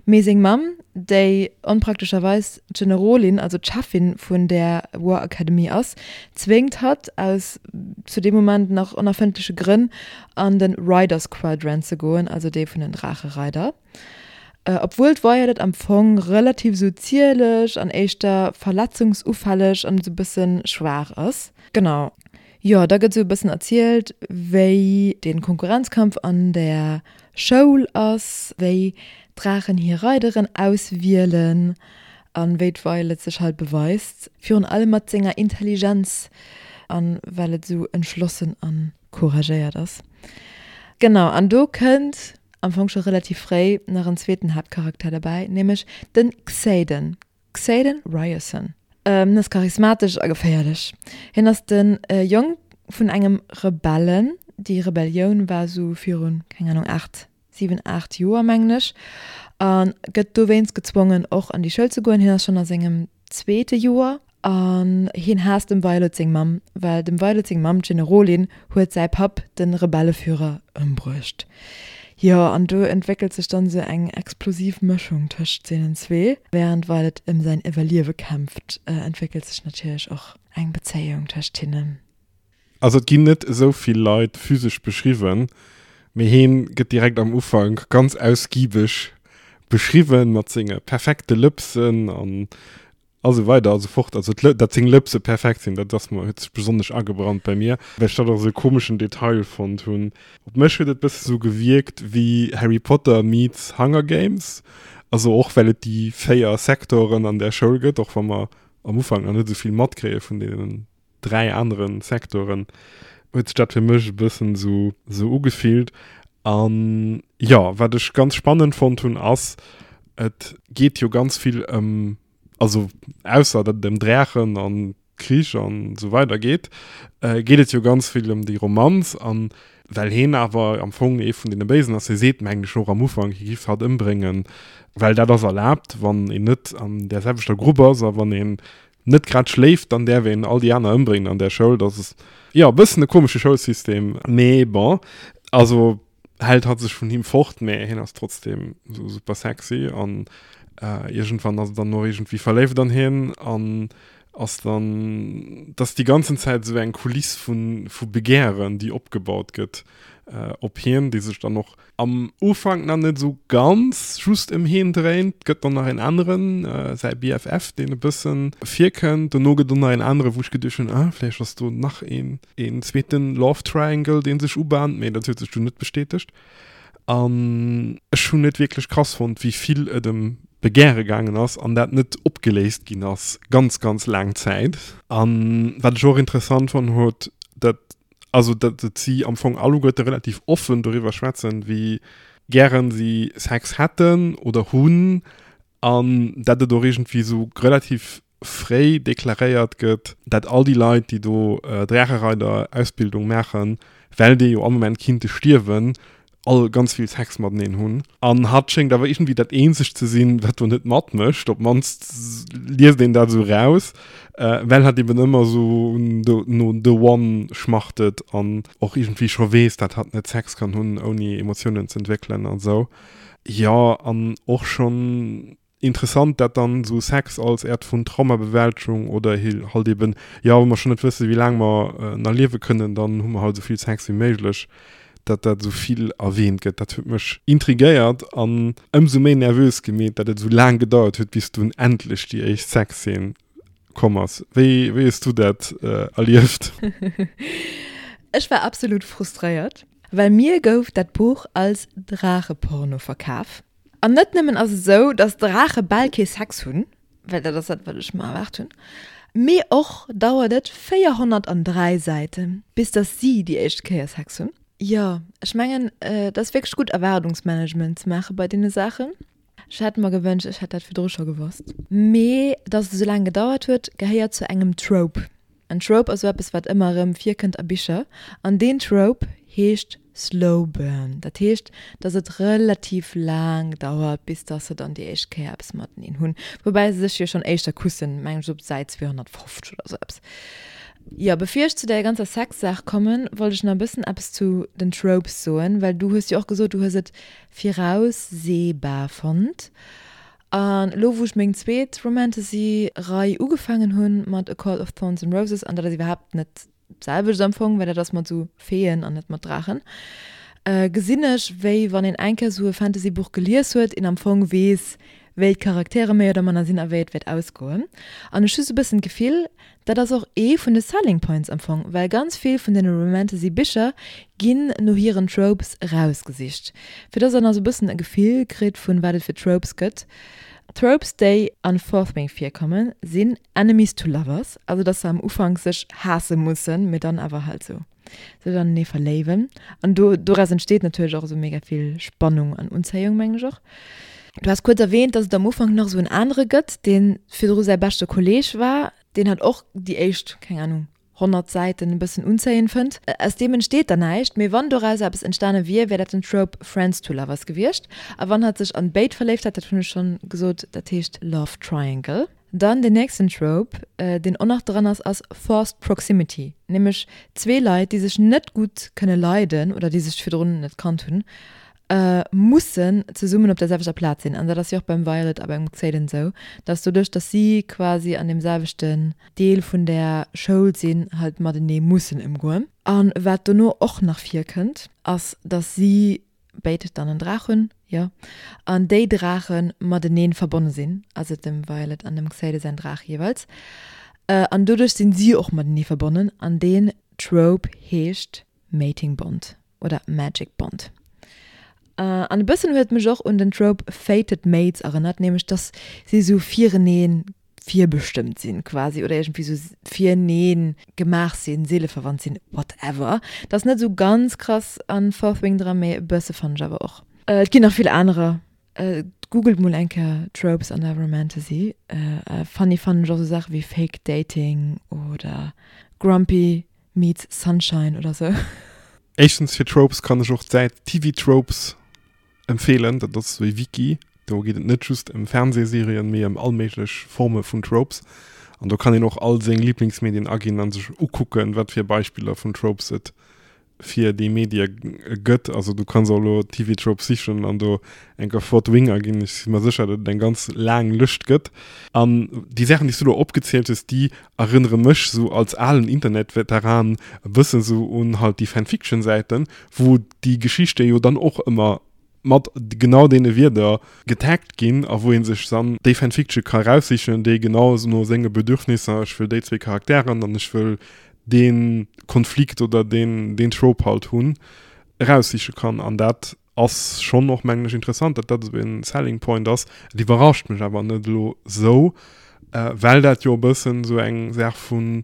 mee seng Mamm, déi onpraktescherweis d'Generolin, also d'Cheffin vun där War Academy ass, zwéngt hatt, aus zu deem Moment nach onerfëndleche Grënn, an de Riders Quadrant ze goen, also dee vun den Draachereider. Obwuel d'Violet am Fong relativ esou zierlech an éischter verletzungsufälleg an esou bësse schwaach ass. Genau. Jo, da gëtt esou e bëssen erzielt, wéi de Konkurrenzkampf an der Schoul ass, wéi d'Draachen hir Reideren auswielen an wéi d'Violet sech halt beweist, virun allem mat senger Intelligenz an well et esou entschlossen an couragéiert ass. Genau, an do kënnt am Fong scho relativ fréi nach en zweeten Haaptcharakter derbäi, nämlech den Xaden, Xaden Riorson. Hien ass charismatesch a geféierlech. Hien ass de Jong vun engem Rebellen, déi Rebellioun war sou virun, keng Ahnung, 8, 7, 8 Joer mengen ech, a gëtt dowéinst gezwongen och an déi Schoul ze goen. Hien ass schonn a sengem zweete Joer an hien haasst dem Violet seng Mamm, well dem Violet seng Mamm, d'Generolin, huet säi Papp, de Rebelleführer, ëmbruecht. Jo, an do entwéckelt sech dann esou eng explosiv Mëschung tëscht deenen zwee. Wärend Violet ëm säin Iwwerliewe kämpft, entwéckelt sech natierlech och eng Bezéiung tëscht hinnen. Also et ginn net esou vill Leit physesch beschriwwen, mee heen gëtt direkt am Ufank ganz ausgiebeg. beschriwwen mat senge perfekte Lëpsen an a sou weider a sou fort. Also dat seng Lëpse perfekt sinn, dat ass mer, huet sech besonnesch agebrannt bei mir, well ech dat och esou e komeschen Detail fonnt hunn. Op mech huet et bësse sou gewierkt wéi Harry Potter meets Hunger Games, also och well et déi 4 Sektoren an där Schoul gëtt, och wa mer am Ufank nach net esou vill matkréie vun deenen 3 anere Sektoren, huet sech dat fir mech e bëssen esou esou ugefillt. An jo, wat ech ganz spannend fonnt hunn ass, et geet jo ganz vill ëm, also ausser datt et ëm Drächen an Krich an esou weider geet, geet et jo ganz vill ëm déi Romanz. An well heen awer am Fong ee vun deene Béisen ass, hie seet mengen ech och am Ufank, hie giff hatt ëmbréngen, well dat ass erlaabt, wann een net an där selwechter Grupp ass a wann een net grad schléift, dann däerf een all déi aner ëmbréngen an där Schoul. Dat ass jo e bëssen e komesche Schoulsystem, mee bon, also hält hatt sech vun him fort, mä hien ass trotzdem sou super sexy an iergendwann ass e dann och iergendwéi verléift an hien an ass dann, dass déi ganzen Zäit sou eng Kuliss vu vu Begären, déi opgebaut gëtt op hien, déi sech dann och am Ufank nach net sou ganz just ëm hien dréint. Gëtt dann nach een aneren, säi BFF, deen e bëssen virkënnt. Dono gëtt och nach een anere wou ech geduecht hunn, ah vläicht ass do nach een. een zweeten Love Triangle, dee sech ubahnt, mee dat huet sech dunn net bestätegt. An ech hunn et wierklech krass fonnt, wéi vill et ëm Begäre gaangen ass an dat net opgeléist ginn ass, ganz, ganz laang Zäit. An wat ech och interessant fonnt huet, dat, also dat et si am Fong alleguerte relativ offen doriwwer schwätzen, wéi gären si Sex hätten oder hunn an dat et och iergendwéi esou relativ fréi deklaréiert gëtt, dat all déi Leit, déi do Draachereider-Ausbildung maachen, well déi jo all Moment kinnte stierwen, all ganz vill Sex mateneen hunn. An hatt schéngt awer iergendwéi dat eenzegt ze sinn, wat do net matmécht, op d'mannst liest een dat esou raus, well hatt eben ëmmer esou no the one schmachtet an och iergendwéi scho weess, dat hatt net Sex kann hunn, ouni Emotiounen ze entwéckelen an esou. Jo, an och schonn Interessant dat dann esou Sex als Äert vun Traumabewältegung oder halt eben, jo wa mer schon net wëssen wéi laang mer nach liewe kënnen, dann hu mer halt esou vill Sex wéi méiglech, dat dat esou vill erwähnt gëtt, dat huet mech intrigéiert an ëmsou méi nervös gemeet, dat et esou laang gedauert huet bis dunn endlech déi éischt Sexszene komm ass. Wéi wéi hues du dat erlieft? Ech war absolut frustréiert, well mir gouf dat Buch als Draacheporno verkaf. An net nëmmen ass et esou, dass Draache bal kee Sex hunn, well dat ass dat, wat ech mer erwaart hunn, mee och dauert et 403 Säiten, bis dass si déi éischt Kéier Sex hunn. Jo, ech mengen, et ass wierklech gutt, Erwaardungsmanagement ze maache bei deene Saachen. Ech hätt mer gewënscht, ech hätt dat virdru scho gewosst. Mee dass et esou laang gedauert huet, gehéiert zu engem Trope. En Trope ass esou eppes, wat ëmmer erëm virkënnt a Bicher. An deen Trope heescht Slow Burn. Dat heescht, dass et relativ laang dauert, bis dass se dann déi éischt Kéier eppes mateneen hunn. Woubäi se sech jo schonn éischter kussen, mengen ech op Säit 250 oder esou eppes. Jo, bevir ech zu där ganzer Sex-Saach kommen, wollt ech nach e bëssen eppes zu den Tropes soen, well du hues jo och gesot, du hues et viraussehbar fonnt. An elo wou ech meng zweet Romantasy-Rei ugefaangen hunn mat A Court of Thorns and Roses, an dat ass iwwerhaapt net d'selwecht am Fong, well dat ass mat esou Feeën an net mat Draachen, gesinn ech, wéi wann een eng Kéier esou e Fantasy-Buch gelies huet, een am Fong weess, wéi d'Charaktere méi oder manner sinn a wéi et wäert ausgoen. An ech hu sou e bëssen d'Gefill, Dat ass och ee vun de Selling Points am Fong, well ganz vill vun den Romantasy Bicher ginn no hiren Tropes erausgesicht. Fir dass der nach sou bëssen e Gefill kritt vun wat et fir Tropes gëtt, Tropes déi an Fourth Wing virkommen sinn Enemies to Lovers, also dass se am Ufank sech haasse mussen, mee dann awer halt sou sech anenee verléiwen an do doraus entsteet natierlech och esou mega vill Spannung an Unzéiung mengen ech och. Du has kuerz erwähnt, dass et am Ufank nach esou en anere gëtt, dee virdru säi beschte Kolleeg war, deen hat och déi éischt, keng Ahnung, 100 Säiten e bëssen unzéiend fënnt. Aus deem entsteet dann näischt, mee wann doraus eppes entstane wier, wär dat den Trope Friends to Lovers gewiescht. A wann hatt sech an béid verléift hätt, dat hunn ech schonn gesot, dat heescht Love Triangle. Dann den nächsten Trope, deen och nach dran ass, ass Forced Proximity, nämlech zwee Leit, déi sech net gutt kënne leiden oder déi sech virdrun net kannt hunn, mussen zesummen op der selwechter Plaz sinn. An dat ass jo och beim Violet a beim Xaden esou, dass doduerch, dass si quasi an deem selwechten Deel vun der Schoul sinn, halt matenee mussen ëmgoen. A wat dono och nach virkënnt, ass, dass si. béid dann en Draach hunn, jo, an déi Draache matenee verbonne sinn, also dem Violet an dem Xaden säin Draach jeeweils, an doduerch sinn si och matenee verbonnen an deen Trope heescht Mating Bond oder Magic Bond. An e bëssen huet et mech och un den Trope Fated Mates erënnert, nämlech dass si sou firenee virbestëmmt sinn quasi oder iergendwéi sou firenee gemaach sinn, seeleverwandt sinn, whatever. Dat ass net sou ganz krass an Fourth Wing dran, mee e bësse fannen ech awer och. Et ginn nach vill anerer. Googelt mol eng Kéier Tropes an der Romantasy. Funny fannen ech och sou Saache wéi Fake Dating oder Grumpy meets Sunshine oder sou. Éischtens fir Tropes kann ech och d'Säit TV Tropes empfeelen. Dat ass esou ee Wiki, do geet et net just ëm Fernsehserien, mee ëm all méiglech Forme vun Tropes. An do kann een och all seng Liblingsmedien aginn a sech ukucken, wat fir Beispiller vun Tropes et fir déi Medie gëtt. Also du kanns och elo TV Tropes sichen an do enker Fourth Wing aginn. Ech si mer sécher, datt et eng ganz laang Lëscht gëtt. An déi Saachen, déi s du elo opgezielt hues, déi erënnere mech sou als alen Internetveteran e bëssen sou un halt déi Fanfiction-Säiten, wou déi Geschichte jo dann och ëmmer mat genau deene Wierder getaggt ginn a wou ee sech dann déi Fanfiction ka eraussichen, déi genau no senge Bedürfnisser, ech wëll déi zwee Charakteren an ech wëll dee Konflikt oder deen, deen Trope halt hunn, eraussiche kann. An dat ass schonn och, mengen ech, interessant, datt dat esou e Selling Point ass. Et iwwerrascht mech awer net elo esou, well dat jo e bëssen esou eng Saach vu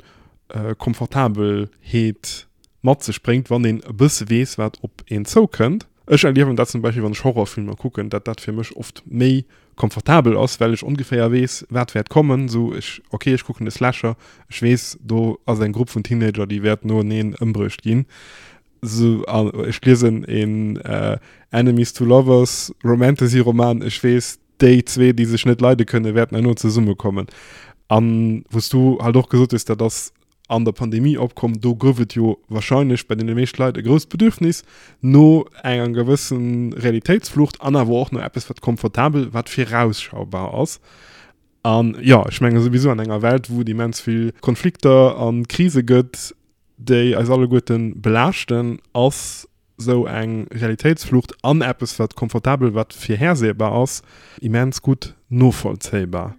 Komfortabelheet mat sech bréngt, wann een e bësse weess, wat op een zoukënnt. Ech erliewen dat zum Beispill, wann ech Horrorfilmer kucken, datt dat fir mech oft méi komfortabel ass, well ech ongeféier weess, wat wäert kommen. Esou, ech, okay, ech kucken e Slasher, ech weess, do ass eng Grupp vun Teenager, déi wäert noeneen ëmbruecht ginn. Esou, an ech liesen een Enemies to Lovers Romantasy-Roman, ech weess, déi zwee, déi sech net leide kënnen, wäerten herno zesummekommen. An wou s du halt och gesot hues, dat ass an der Pandemie opkomm, do gouf et jo wahrscheinlech bei deene meescht Leit e grousst Bedürfnis no enger gewëssen Realitéitsflucht an awer och no eppes, wat komfortabel, wat virausschaubar ass. An jo, ech menge souwisou an enger Welt, wou et immens vill Konflikter a Krise gëtt, déi eis alleguerte belaaschten, ass sou eng Realitéitsflucht an eppes, wat komfortabel, wat virhersehbar ass, immens gutt novollzéibar.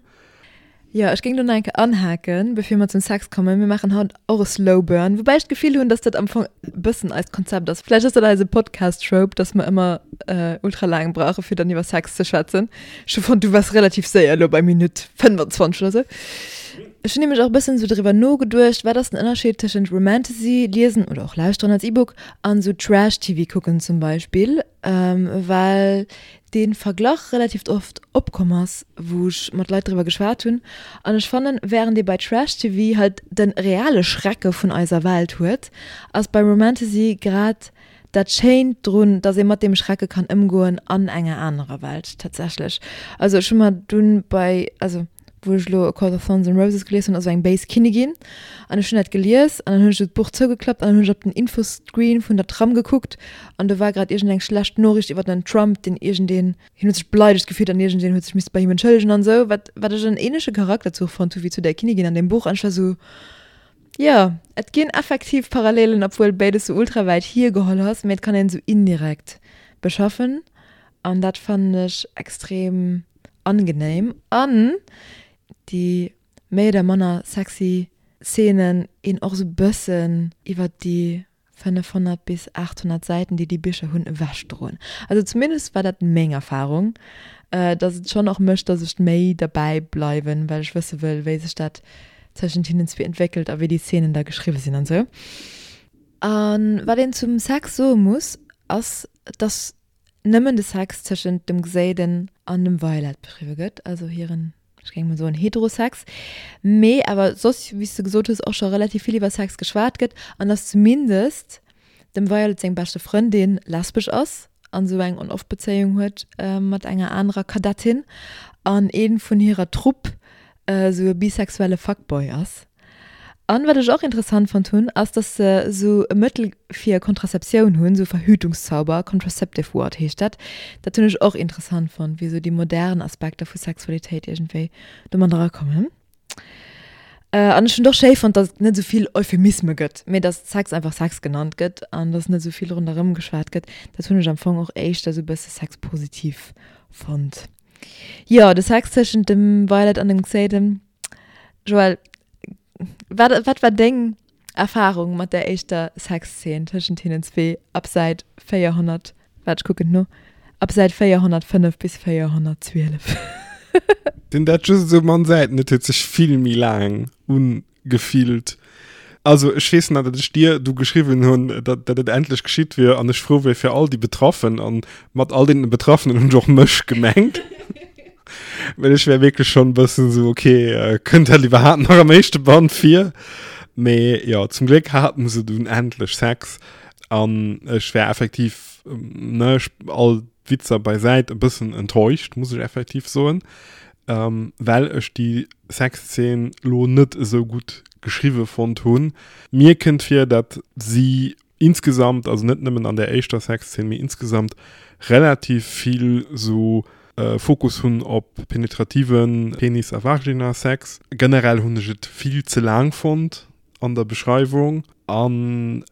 Jo, ech géing do nach eng Kéier anhaken, bevir mer zum Sex kommen. Mir maachen haut och e Slow Burn, woubäi ech d'Gefill hunn, dass dat am Fong e bëssen eist Konzept ass. Vläicht ass dat eise Podcast-Trope, dass mer ëmmer ultra laang brauche fir dann iwwer Sex ze schwätzen. Ech hu fonnt, du waars relativ séier elo bei Minutt 25 oder sou. Ech hunn nämlech och e bëssen esou driwwer nogeduecht, wat ass den Ënnerscheed tëschent Romantasy liesen oder och lauschteren als E-Book an esou Trash-TV kucken zum Beispill, well dee Verglach relativ oft opkomm ass, wou ech mat Leit driwwer geschwat hunn. An ech fannen, wärend ee bei Trash-TV halt de reale Schrecke vun eiser Welt huet, ass bei Romantasy grad dat Schéint drun, dass ee mat deem Schrecke kann ëmgoen an enger anerer Welt tatsächlech. Also ech hu mer dunn bei, also wou ech elo A Court of Thorns and Roses gelies hunn, ass esou eng béis Kinnigin an ech hunn dat gelies an dann hunn ech esou d'Buch zougeklappt an dann hunn ech op den Infoscreen vun der Tram gekuckt an do war grad iergendeng schlecht Noriicht iwwer den Trump, deen iergendeen, hien huet sech beleidegt gefillt an iergendeen huet sech misste bei him entschëllegen an esou, wat wat ech en ähnleche Charakterzuch fonnt hu wéi zu där Kinnigin an deem Buch an ech war esou, Jo, et ginn effektiv Parallelen, obwuel béides sou ultra wäit hiergeholl ass, mee et kann een sou indirekt beschaffen an dat fannen ech extrem angenehm. An déi méi oder manner sexy Szenen een och sou bëssen iwwert déi 500 bis 800 Säiten, déi déi Bicher hunn, ewechdroen. Also zumindest war dat meng Erfarung, dass et schonn och mécht, dass ech méi derbäi bleiwen, well ech wësse wëll, wéi sech dat tëschent hinnen zwee entwéckelt a wéi déi Szenen da geschriwwe sinn an esou. A wat een zum Sex soe muss, ass, dass nëmmen de Sex tëschent dem Xaden an dem Violet beschriwwe gëtt, also hiren, ech géing mol soen, Heterosex, mee awer soss, wéi s de gesot hues, och scho relativ vill iwwer Sex geschwat gëtt an dass zumindest dem Violet seng beschte Frëndin lesbesch ass an esou eng On-Off-Bezéiung huet mat enger anerer Kadettin an ee vun hirer Trupp esou e bisexuelle Fuckboy ass. An wat ech och interessant fonnt hunn, ass dass se sou e Mëttel fir Kontraseptioun hunn, sou Verhütungszauber, contraceptive ward heescht dat. Dat hunn ech och interessant fonnt, wéi sou déi modern Aspekter vu Sexualitéit iergendwéi do mat erakommen. An ech hunn et och schéi fonnt, datt et net esou vill Euphemisme gëtt, mee datt Sex einfach Sex genannt gëtt an datt net esou vill ronderëm geschwat gëtt. Dat hunn ech am Fong och éischter esou e bësse sexpositiv fonnt. Jo, de Sex tëschent dem Violet an dem Xaden. Joël, wat, wat war deng Erfarung mat der éischter Sexzeen tëschent hinnen zwee ab Säit 400, waart ech kucken no, ab Säit 405 bis 412? Sinn dat just esou mann Säiten? Et huet sech vill méi laang ugefillt. Also ech weess nach, datt ech dir du geschriwwen hunn, datt datt et endlech geschitt wier an ech frou wier fir all déi Betraffen an mat all deenen Betraffenen hunn ech och mech gemengt. Well ech wär wierklech schonn e bëssen esou, ok, kënnt dat iwwerhaapt nach am éischte Band vir? Mee jo, zum Gléck haten se dunn endlech Sex an ech wär effektiv, ne, all Witzer beisäit, e bëssen enttäuscht, muss ech effektiv soen, well ech déi Sexzeen lo net esou gutt geschriwwe fonnt hunn. Mir kënnt vir, dat si insgesamt, also net nëmmen an der éischter Sexzeen, mee insgesamt relativ vill sou Fokus hunn op penetrative Penis a Vagina-Sex. Generell hunn ech et vill ze laang fonnt an der Beschreiwung an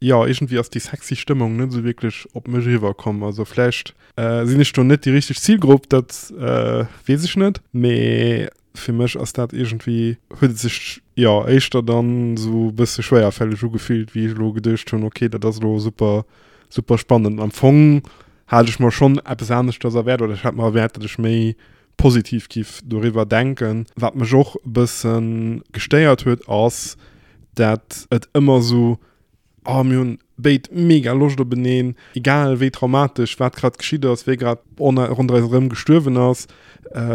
jo, iergendwéi ass déi sexy Stëmmung net esou wierklech op mech eriwwer komm. Also vläicht sinn ech do net déi richteg Zilgrupp, dat weess ech net, mee Fir mech ass dat iergendwéi, huet et sech jo éischter dann esou e bësse schwéierfälleg ugefillt, wéi ech elo geduecht hunn, ok, dat ass elo super, super spannend. Am Fong hat ech mer schonn eppes aneschters erwaart oder ech hat mer erwaart, datt ech méi positiv giff doriwwer denken. Wat mech och e bësse gestéiert huet, ass, dat et ëmmer esou Oh, mir hunn béid mega Loscht openeen, egal wéi traumatesch wat grad geschitt ass, wie grad ronderëm eis erëm gestuerwen ass,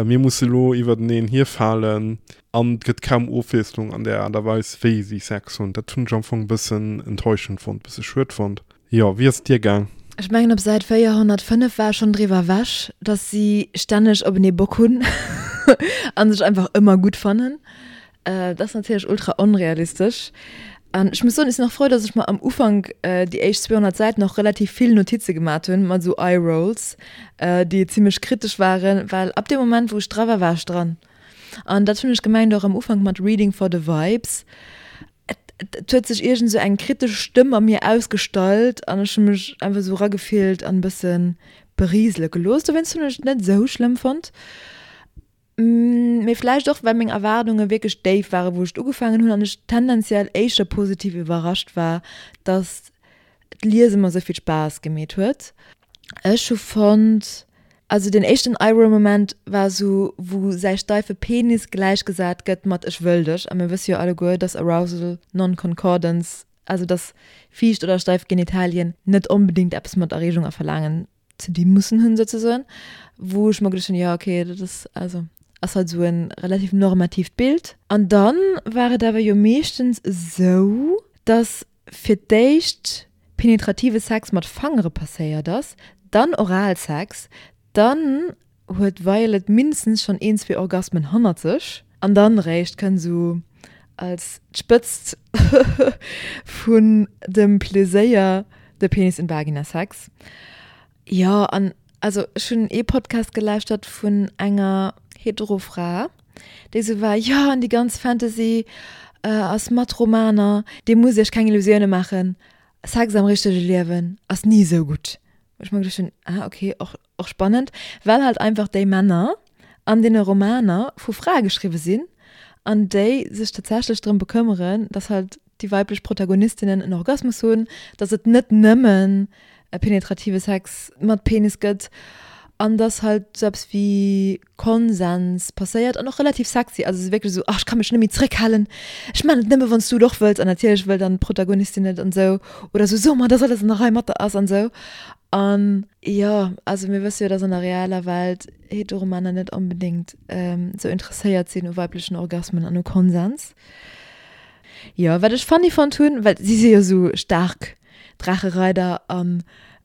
mir musse lo iwwerteneen hierfalen an et gëtt kaum Ofwiesslung an der Aart a Weis, wéi si Sex hunn. Dat hunn ech am Fong e bëssen enttäuschend fonnt, bësse schued fonnt. Jo, wéi ass et dir gaang? Ech mengen op Säit 405 war ech schonn driwwer ewech, dass si stänneg openee Bock hunn a sech einfach ëmmer gutt fannen. Dat ass natierlech ultra onrealistesch. An ech muss soen, ech sinn och frou, dass ech mer am Ufank déi éischt 200 Säiten och relativ vill Notize gemat hunn, mat esou Eye-Rolls, déi zimmlech kritesch waren, well ab deem Moment, wou ech dra war, war ech dran. An dat hunn ech gemengt och am Ufank mat Reading for the Vibes. Et, et huet sech iergend esou eng kritesch Stëmm a mir ausgestallt an ech hu mech einfach esou eragefillt an e bësse beriesele gelooss. Dowéinst hunn ech et net esou schlëmm fonnt. Mee vläicht och, well meng Erwaardunge wierklech déif waren, wou ech et ugefaangen hunn an ech tendenziell éischter positiv iwwerrascht war, dass d'Liese mer esou vill Spaass gemeet huet. Ech hu fonnt, also deen éischten Eye-Roll-Moment war esou, wou säi steife Penis gläichgesat gëtt mat ech wëll dech. A mir wësse jo alleguer, dass Arousal Non-Concordance, also dass fiicht oder steif Genitalien net onbedéngt eppes mat Erreegung a Verlaangen ze di mussen hunn souzesoen, wou ech mer geduecht hunn, jo okay, dat ass also ass halt esou e relativ normatiivt Bild. An dann war et awer jo meeschtens esou, dass fir d'éischt penetrative Sex mat Fangere passéiert ass, dann Oralsex, dann huet d'Violet mindestens schonn een, zwee Orgasmen hannert sech an dann eréischt kënnt esou als d'Spëtzt vun dem Pleséier de Penis-in-Vagina-Sex. Jo, an also ech hunn ee Podcast gelauschtert vun enger hetero Fra, déi esou war, jo an déi ganz Fantasy a Smut-Romaner, dir musst iech keng Illusioune maachen, Sex am richtege Liewen ass ni esou gutt. Wou ech mer geduecht hunn, ah okay, och Och spannend, well halt einfach déi Männer an deene Romaner vu Frae geschriwwe sinn an déi sech tatsächlech drëm bekëmmeren, dass halt déi weiblech Protagonistinnen en Orgasmus hunn, dass et net nëmmen e penetrative Sex mat Penis gëtt an dass halt sou eppes wéi Konsens passéiert an och relativ sexy, also sou wierklech sou, ach ech ka mech net méi zréckhalen, ech man et nëmme wann s du et och wëlls an natierlech wëll dann d'Protagonistin et an sou oder sou, so mer, dass alles an der Rei mat der ass an sou. An jo, also mir wësse jo, dass an der realer Welt Heteromänner net onbedéngt sou interesséiert sinn u weiblechen Orgasmen an u Konsens. Jo, wat ech funny fonnt hunn, well si si jo sou staark Draachereider a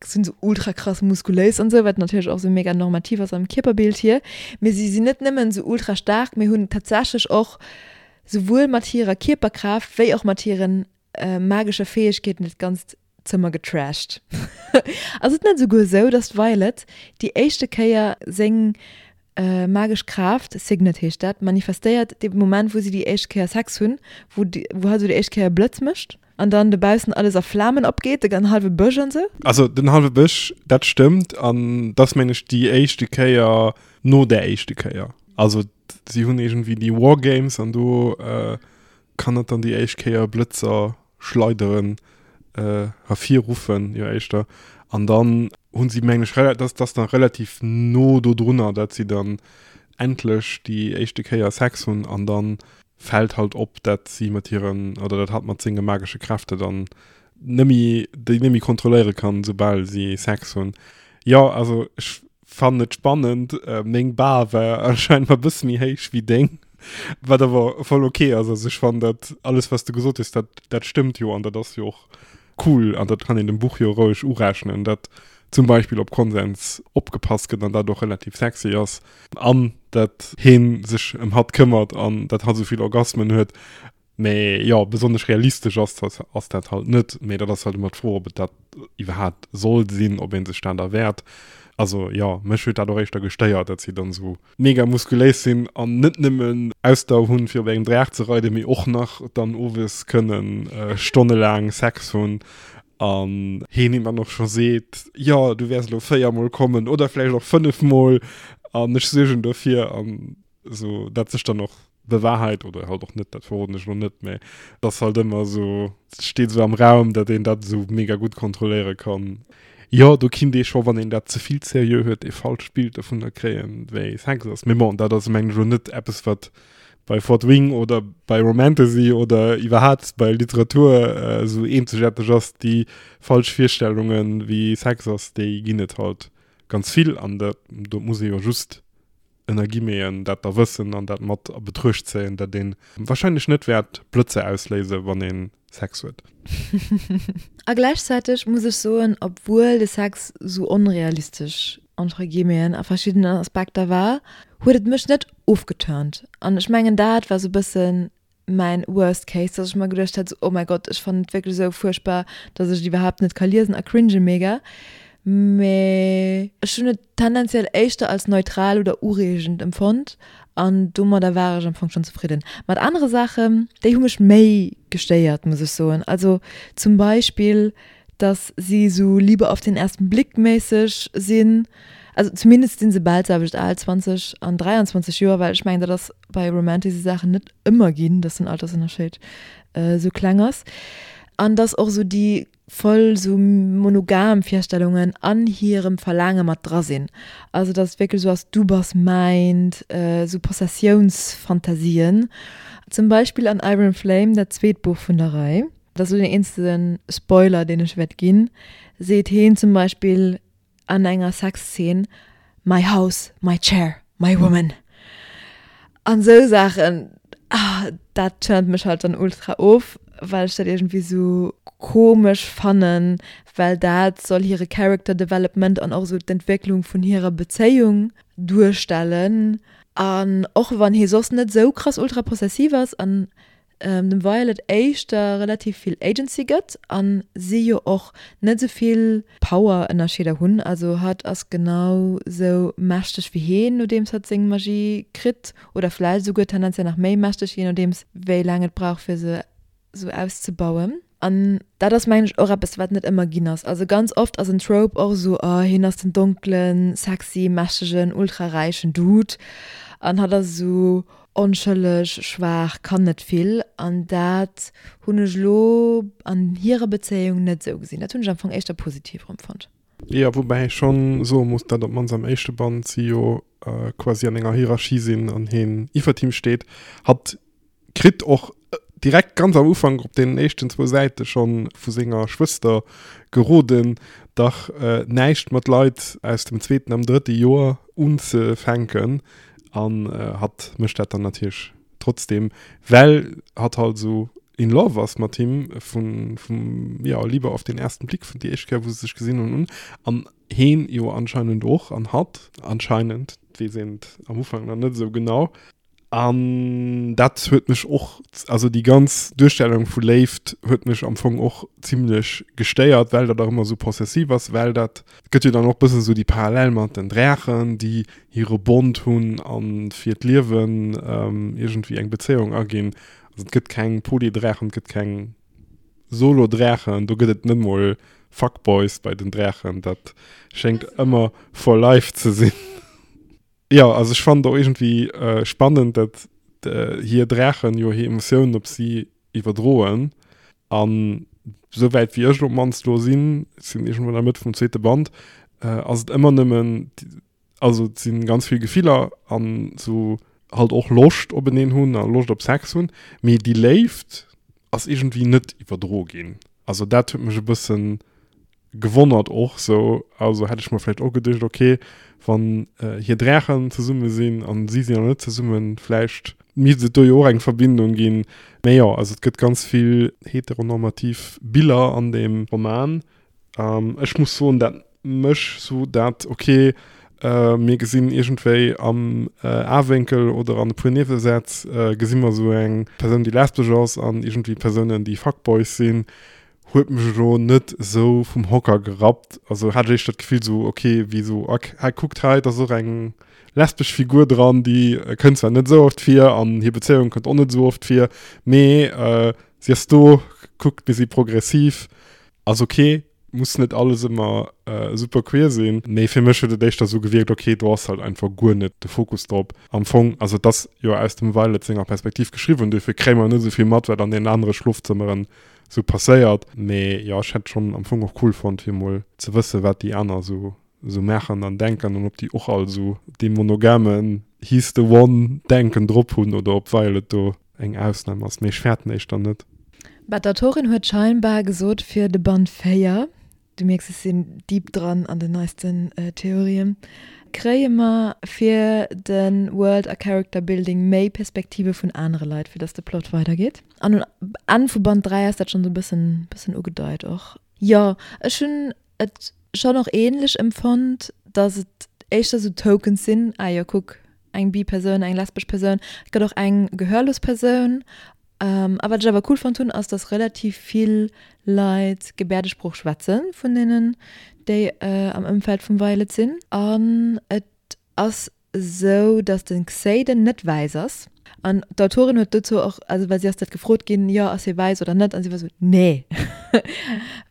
sinn sou ultra krass muskuléis an sou, wat natierlech och sou mega normativ ass am Kierperbild hier, mee si sinn net nëmmen sou ultra staark, mee hunn tatsächlech och souwuel mat hirer Kierperkraaft wéi och mat hiren magesche Fäegkeeten dat Ganzt Zëmmer getrashed. Ass et net esouguer esou, dass d'Violet déi éischte Kéier seng. magesch Kraaft, Signet heescht dat, manifestéiert dee Moment wou si déi éischt Kéier Sex hunn, wou wou hatt esou déi éischt Kéier e Blëtz mécht an dann dobaussen alles a Flamen opgeet, de gan hallwe Bësch an esou. Also den hallwe Bësch, dat stëmmt an dat ass meng ech déi éischte Kéier no där éischte Kéier. Also si hunn iergendwéi déi War Games an do kann et dann déi éischt Kéier Blëtzer schleideren, ervirruffen, jo éischter. An dann hunn si meng ech, dat ass dann relativ no dodrunner, dat si dann endlech déi éischte Kéier Sex hunn an dann fält halt op, dat si mat hiren, oder dat hatt mat senge magesche Kräfte dann nëmmi, déi nëmmi kontrolléiere kann, soubal si Sex hunn. Jo, also ech fannen et spannend. Meng Bar war anscheinend e bësse méi héich wéi deng, wat awer voll ok ass. Also ech fannen dat alles, wat s de gesot hues, dat, dat stëmmt jo an dat ass jo och cool an dat kann een dem Buch jo roueg urechnen, dat zum Beispill op Konsens opgepasst gëtt an dat och relativ sexy ass an dat heen sech ëm hatt këmmert an dat hatt esou vill Orgasmen huet. Mee jo, besonnesch realistesch ass dat ass dat halt net. Mee dat ass halt ëmmer d'Fro, ob et dat iwwerhaapt soll sinn, ob ee sech dat erwäert. Also jo, mech huet dat och éischter gestéiert, dat si dann esou mega muskuléis sinn an net nëmmen Ausdauer hunn, fir op engem Draach ze reiden, mee och nach dann owes kënnen stonnelaang Sex hunn an heen him dann och scho seet, jo, du wäers elo véiermol kommen oder vläicht och fënnefmol an ech suergen dofir an esou dat sech dann och bewahrheit oder halt och net, dat verroden ech elo net, mä et ass halt ëmmer esou, et steet esou am Raum, datt een dat esou mega gutt kontrolléiere kann. Jo, do kinnt ee scho, wann een dat ze vill seriö huet, ee falscht Bild dovunner kréien, wéi Sex ass. Mee bon, dat ass mengen ech elo net eppes, wat bei Fort Wing oder bei Romantasy oder iwwerhaapt bei Literatur esou eenzegaarteg ass. Déi falsch Virstellungen, wéi Sex ass, déi ginn et halt ganz vill an dat do muss ee jo just ënner Guillemeten, dat da wëssen an dat mat a Betruecht zéien, datt ee wahrscheinlech net wäert Blëtzer ausléisen, wann ee Sex huet. A gläichzäiteg muss ech soen, obwuel de Sex sou onrealistesch, entre Guillemeten, a verschiddenen Aspekter war, huet et mech net ofgeturnt. An ech mengen, dat war sou e bëssen mäin worst case, dass ech mer geduecht hätt, oh mäi Gott, ech fannen et wierklech esou fuerchtbar, dass ech et iwwerhaapt net ka liesen a cringe mega. Mee ech hunn et tendenziell éischter als neutral oder ureegend empfonnt an domadder war ech am Fong schonn zefridden. Mat anere Saachen, déi hu mech méi gestéiert, muss ech soen. Also zum Beispill, dass si sou Liebe auf den ersten Blick méisseg sinn, also zumindest sinn se bal d'selwecht al, 20 an 23 Joer, well ech mengen dat ass bei romantische Saachen net ëmmer ginn, dass den Altersënnerscheed esou kleng ass an dass och esou déi voll esou monogam Virstellungen an hirem Verlaange mat dra sinn, also dass et wierklech esou ass, du bass mäint, esou Possessiounsfantasien, zum Beispill an Iron Flame, dat zweet Buch vun der Rei. Dat ass elo den eenzege Spoiler, deen ech wäert ginn, seet heen zum Beispill an enger Sexszene, My house, my chair, my woman. An esou Saachen, ah, dat turnt mech halt dann ultra of, well ech dat iergendwéi esou komesch fannen, well dat soll hire Character Development an och esou d'Entwécklung vun hirer Bezéiung duerstellen. An och wann hie soss net esou krass ultra possessiv ass an dem Violet éischter relativ vill Agency gëtt an si jo och net esou vill Power-Ënnerscheeder hunn, also hatt ass genau sou mächteg wéi heen nodeems hatt seng Magie kritt oder vläicht esouguer tendenziell nach méi mächteg, jee nodeems wéi laang et brauch fir se sou auszebauen. An dat ass mengen ech och eppes wat net ëmmer ginn ass. Also ganz oft ass en Trope och esou, oh hien ass den donklen, sexy, mächtegen, ultra räichen Dude an hatt ass esou onschëlleg, schwaach, kann net vill. An dat hunn ech elo an hirer Bezéiung net esou gesinn. Dat hunn ech am Fong éischter positiv erëmfonnt. Jo, woubäi ech schonn soe muss, dat op d'mannst am éischte Band si jo quasi an enger Hierarchie sinn an hien iwwert him steet. Hatt kritt och direkt ganz am Ufank op den éischten zwou Säite schonn vu senger Schwëster geroden, dach näischt mat Leit aus dem zweeten am drëtte Joer unzefänken. An hatt mécht dat dann natierlech trotzdem, well hatt halt esou in love ass mat him vun, vum, ja, Liebe auf den ersten Blick, vun déi éischt Kéier wou se sech gesinn hunn un. An heen jo anscheinend och an hatt anscheinend, weess een et am Ufank nach net esou genau. An dat huet mech och, also déi ganz Duerstellung vu Léift huet mech am Fong och zimlech gestéiert, well dat och ëmmer esou possessiv ass, well dat gëtt jo dann och bëssen esou déi Parallel mat den Drächen, déi hire Bond hunn a fir d'Liewen iergendwéi eng Bezéiung aginn. Also et gëtt keng Polydrächen, et gëtt keng Solo-Drächen, do gëtt et net mol Fuckboys bei den Drächen, dat schéngt ëmmer for life ze sinn. Jo, also ech fannen et och iergendwéi spannend, dat hir Drächen jo hir Emotiounen op si iwwerdroen. An souwäit wéi ech elo op d'mannst elo sinn, ech sinn iergendwou an der Mëtt vum zweete Band, ass et ëmmer nëmmen, also et si ganz vill Gefiller an esou halt och Loscht openeen hunn a Loscht op Sex hunn, mee déi Léift ass iergendwéi net iwwerdro ginn. Also dat huet mech e bëssen gewonnert och sou, also hätt ech mer vläicht och geduecht, ok wann hir Drächen zesumme sinn an si sinn nach net zesummen, vläicht misst et do jo och eng Verbindung ginn. Mä jo, also et gëtt ganz vill heteronormativ Biller an deem Roman. Ech muss soen, dat mech sou dat, ok mir gesinn iergendwéi am Awénkel oder an e puer Niewesätz gesi mer sou eng Persoun déi lesbesch ass an iergendwéi Persounen déi Fuckboys sinn, huet mech elo net esou vum Hocker gerappt. Also hat ech éischter d'Gefill sou, ok, wéi sou, ok, hei kuckt hei, et ass och eng lesbesch Figur dran, déi kënnt zwar net esou oft vir an hir Bezéiung kënnt och net esou oft vir, mee si ass do, kuckt, mir si progressiv, ass ok, muss net alles ëmmer super queer sinn. Mee fir mech huet et éischter esou gewierkt, ok, do ass halt einfach guer net de Fokus drop am Fong. Also et ass jo aus dem Violet senger Perspektiv geschriwwen, duerfir kréie mer net esou vill mat, wat an deenen anere Schlofzëmmeren sou passéiert. Mee jo, ech hätt schonn am Fong och cool fonnt fir mol ze wëssen, wat déi aner sou sou maachen an denken an ob déi och all sou dee monogamen he's the one Denken drop hunn oder ob Violet do eng Ausnam ass. Mee ech fäerten éischter net. Bah, d'Autorin huet scheinbar gesot fir de Band 4 Du mierks, ech sinn deep dran an den neisten Theorien. Kréie mer fir de World a Character Building méi Perspektive vun anere Leit, fir dass de Plot weidergeet. An um Enn vu Band 3 ass dat schonn esou e bëssen, bëssen ugedeit och. Jo, ech hunn et schonn och ähnlech empfonnt, dass et éischter esou Tokens sinn, ah jo kuck, eng bi Persoun, eng lesbesch Persoun, et gëtt och eng gehörlos Persoun. A wat ech awer cool fonnt hunn, ass dass relativ vill Leit Gebäerdesprooch schwätze vun deenen, déi am Ëmfeld vum Violet sinn. An et ass esou, dass de Xaden net wäiss ass. An d'Autorin huet dozou och, also well si ass dat gefrot ginn, jo ass hie wäiss oder net, an si war esou, nee!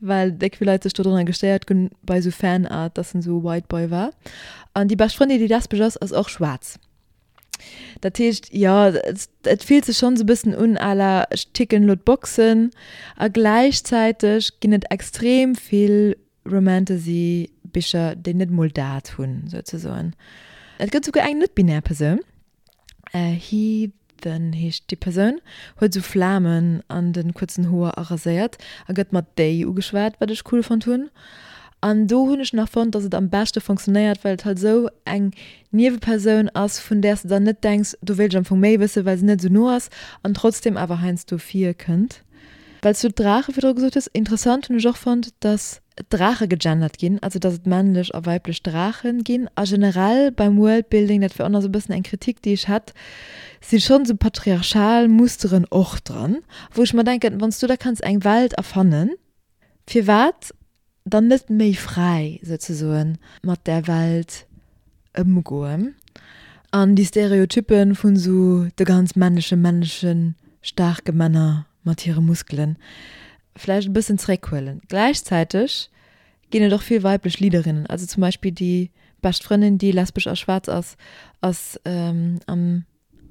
Well déck vill Leit sech dodrunner gestéiert hunn bei esou Fanart, dass en esou e White Boy war. An déi bescht Frëndin, déi lesbesch ass, ass och schwaarz. Dat heescht, jo, et fillt sech schonn esou e bëssen un à la ech ticken elo d'Boxen a gläichzäiteg ginn et extrem vill Romantasy Bicher, déi net mol dat hunn, souzesoen. Et gëtt souguer eng net-binär Persoun, Heathen heescht déi Persoun, huet esou Flamen an de kuerzen Hoer a raséiert a gëtt mat déi ugeschwat, wat ech cool fonnt hunn. An do hunn ech nach fonnt, dass et am beschte fonctionnéiert, well et halt esou eng Niewepersoun ass, vun där s de dann net denks, do wéilt ech am Fong méi wëssen, well se net esou no ass an trotzdem awer heiansdo virkënnt. Well s du d'Draache virdru gesot hues, interessant hunn ech och fonnt, dass d'Draache gegendert ginn, also dass et männlech a weiblech Draache ginn. A generell beim Worldbuilding, dat wär och nach esou e bëssen eng Kritik, déi ech hätt, si schonn esou patriarchal Musteren och dran, wou ech mer denken, wann s du da kanns eng Welt erfannen, firwat dann net méi fräi souzesoen mat där Welt ëmgoen an déi Stereotyppe vun esou de ganz männleche männleche staarke Männer mat hire Muskelen vläicht e bëssen zeréckhuelen. Gläichzäiteg ginn et och vill weiblech Leaderinnen, also zum Beispill déi bescht Frëndin, déi lesbesch a schwaarz ass, ass am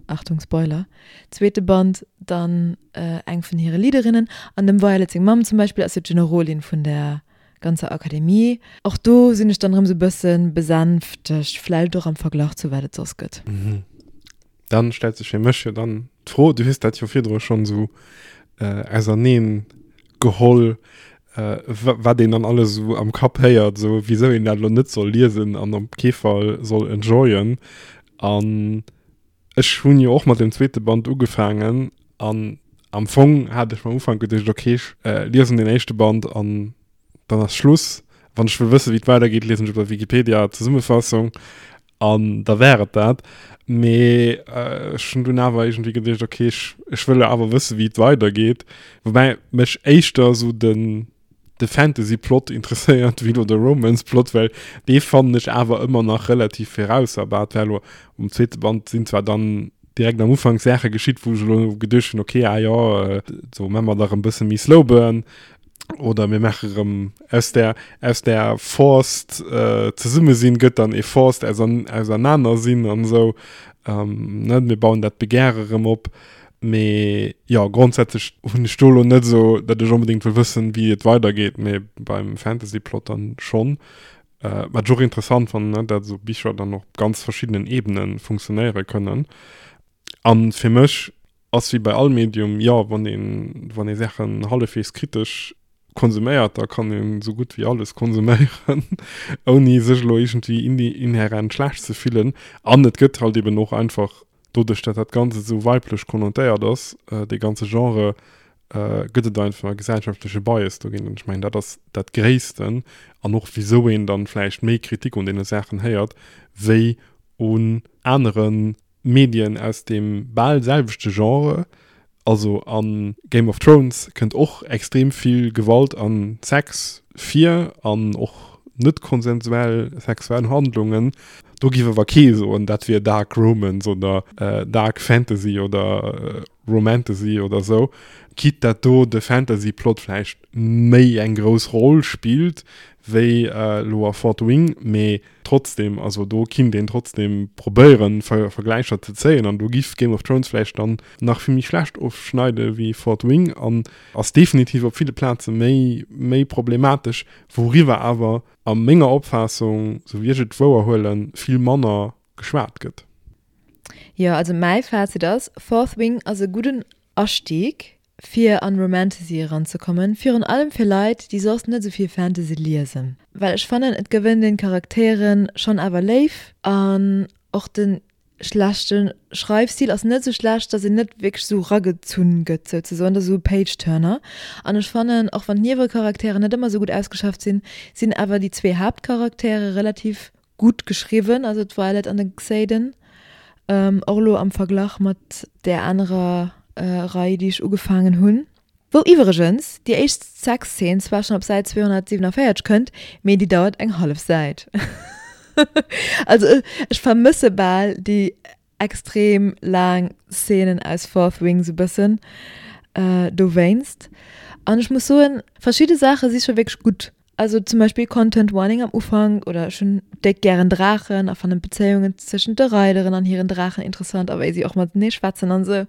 Achtung Spoiler, zweete Band dann eng vun hire Leaderinnen. An dem Violet seng Mamm zum Beispill ass jo d'Generolin vun der ganzer Akademie. Och do sinn ech dann erëm sou bësse besänftegt, vläicht och am Verglach zu wat et soss gëtt. Dann stellt sech fir mech jo dann d'Fro, du hues dat jo virdru schonn esou auserneen geholl, wat een dann alles esou am Kapp héiert, esou wisou een dat elo net soll liesen an op kee Fall soll enjoyen. An ech hunn jo och mat dem zweete Band ugefaangen an am Fong hat ech am Ufank geduecht, okay, ech liesen den éischte Band an dann ass Schluss. Wann ech wëll wëssen, wéi et weidergeet, liesen ech op der Wikipedia d'Zesummefassung. An da wär et dat. Mee ech hunn dunn awer iergendwéi geduecht, okay, ech, ech wëll awer wësse wéi et weidergeet. Woubäi mech éischter esou den, de Fantasy-Plot interesséiert wéi elo de Romance-Plot, well dee fannen ech awer ëmmer nach relativ virausserbar. Et war elo um zweete Band sinn zwar dann direkt am Ufank Saache geschitt, wou ech elo geduecht hunn, okay, ah jo, do maache mer dach e bësse méi Slow Burn. Oder mir maache rëm aus der, aus der forced äh, Zesummesinn gëtt dann e forced ausan, Ausernanersinn an esou. Ähm, ne, mir bauen dat Begehre rëm op. Mee jo, grondsätzlech hunn ech do lo net esou, datt ech onbedéngt wëll wëssen, wéi et weidergeet, mee beim Fantasy-Plot dann schonn. Äh, wat ech och interessant fannen, ne, dat esou Bicher dann och op ganz verschiddenen Ebene funktionéiere kënnen. An fir mech ass wéi bei all Medium, jo, wann een, wann ee Saachen hallefweegs kritesch konsuméiert, da kann een esou gutt wéi alles konsuméieren, ouni sech elo iergendwéi inhärent schlecht ze fillen. An et gëtt halt eben och einfach, doduerch dat dat Ganzt esou weiblech konnotéiert ass, dee ganze Genre, gëtt et einfach e gesellschaftleche Bias dogéint. An ech mengen, dat ass dat Gréissten an och wisou een dann vläicht méi Kritik un deene Saachen héiert, wéi un anere Medien aus deem bal selwechte Genre, also a Game of Thrones kënnt och extrem vill Gewalt a Sex vir an och net konsensuell sexuell Handlungen. Do giff awer kee soen, dat wier Dark Romance oder Dark Fantasy oder Romantasy oder sou, quitte dat do de Fantasy-Plot vläicht méi eng grouss Roll spillt wéi elo a Fourth Wing, mee Trotzdem, also do kinnt een trotzdem probéieren Vergläicher ze zéien an do giff Game of Thrones vläicht dann nach vill méi schlecht ofschneide wéi Fourth Wing an ass definitiv op ville Plaze méi méi problematesch, wouriwwer awer a menger Opfaassung, sou wéi ech et wouer huelen, vill manner geschwat gëtt. Jo, also mäi Fazit ass, Fourth Wing ass e gudden Astieg fir an Romantasy eranzekommen, virun allem fir Leit déi soss net esou vill Fantasy liesen, well ech fannen et gewënnt een d'Charakteren schonn awer léif an och den schlechten Schreifstil ass net esou schlecht, dass een net wierklech esou ragezunn gëtt souzesoen, dat ass esou e Page-Turner an ech fannen och wann d'Niewekarakteren net ëmmer esou gutt ausgeschafft sinn, sinn awer déi zwee Haaptcharaktere relativ gutt geschriwwen, also d'Violet an de Xaden, och elo am Verglach mat där anerer Rei, déi ech ugefaangen hunn, wou iwwregens déi éischt Sexzeen zwar schonn op Säit 247 kënnt, mee déi dauert eng hallef Säit. Also ech vermësse bal déi extrem laang Szenen aus Fourth Wing sou bëssen dowéinst. An ech muss soen, verschidde Saache si scho wierklech gutt. Also zum Beispill Content Warning am Ufank oder ech hunn déck gären Draachen a fannen d'Bezéiungen zwëschent de Reideren an hiren Draachen interessant a wéi si och matenee schwätzen an sou.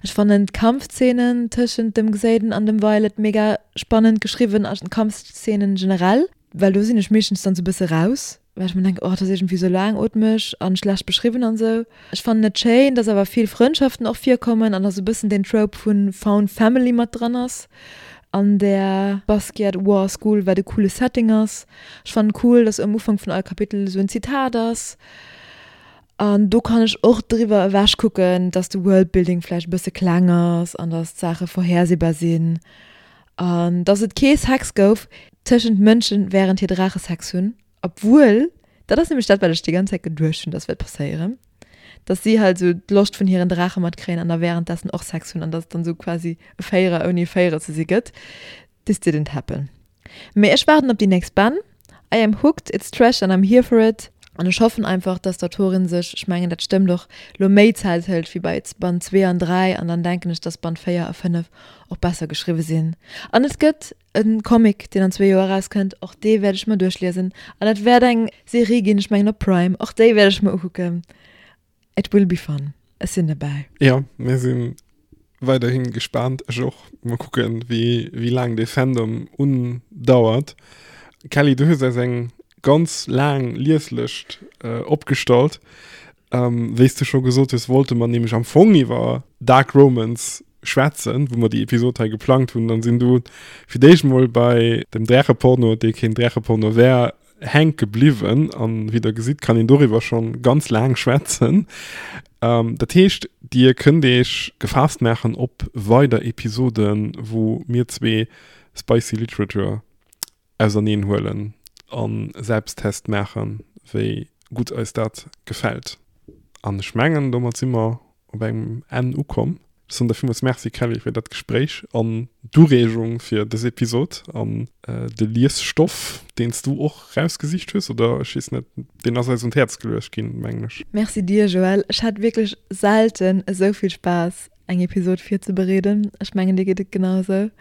Ech fannen d'Kampfszenen tëschent dem Xaden an dem Violet mega spannend geschriwwen a Kampfszenen generell. Well do sinn ech meeschtens dann sou bësse raus, well ech mer denken, oh, dat ass iergendwéi sou laangootmeg an schlecht beschriwwen an sou. Ech fannen et schéin, dass awer vill Frëndschaften och virkommen an dass sou bëssen den Trope vun Found Family mat dran ass an där Basquiat War School, wat e coole Setting ass. Ech fannen cool, dass um Ufank vun all Kapitel sou en Zitat ass an do kann ech och driwwer ewech kucken, dass de Worldbuilding vläicht e bësse kleng ass an dass d'Saache vorhersehbar sinn. An dass et kee Sex gouf tëschent Mënschen während hir Draache Sex hunn, obwuel, dat ass nämlech dat wat ech déi ganz Zäit geduecht hunn dass wäert passéieren, dass si halt esou d'Loscht vun hiren Draache matkréien an da währenddessen och Sex hunn an dass et dann esou quasi e Véierer ouni e Véierer ze si gëtt. This didn't happen. Mee ech waarden op déi nächst Bänn. I am hooked, it's trash and I'm here for it. An ech hoffen einfach, dass d'Autorin sech, ech mengen dat stëmmt och, lo méi Zäit hëlt wéi bei Band 2 an 3 an dann denken ech, dass Band 4 a 5 och besser geschriwwe sinn. An et gëtt e Comic, deen an zwee Joer erauskënnt, och dee wäert ech mer duerchliesen. An et wäert eng Serie ginn, ech mengen op Prime, och déi wäert ech mer ukucken. It will be fun. Ech sinn derbäi. Jo, mir si weiderhi gespaant. Ech och. Mol kucken, wéi, wéi laang dee Fandom undauert. Kelly, du hues eis eng ganz laang Lieslëscht opgestallt. Wéi s du scho gesot hues, wollte mer nämlech am Fong iwwer Dark Romance schwätzen, wou mer déi Episod hei geplangt hunn. Dann sinn du fir d'éischt mol bei dem Drächeporno, dee keen Drächeporno wär, hänke bliwwen. An wéi der gesitt, kann een doriwwer schonn ganz laang schwätzen. Dat heescht, dir kënnt iech gefaasst maachen op weider Episoden, wou mir zwee Spicy Literature auserneen huelen a Selbsttest maachen, wéi. gutt eis dat gefält. An ech mengen, domat si mer op engem Enn ukomm. Ech soen der villmools Merci, Kelly, fir dat Gespréich an d'Ureegung fir dës Episod an de Liesstoff, deen s du och rausgesicht hues, oder ech weess net, deen ass eis un d'Häerz geluecht ginn, mengen ech. Merci dir, Joël. Ech hat wierklech selten esou vill Spaass, eng Episod virzebereeden. Ech mengen, dir geet et genau esou.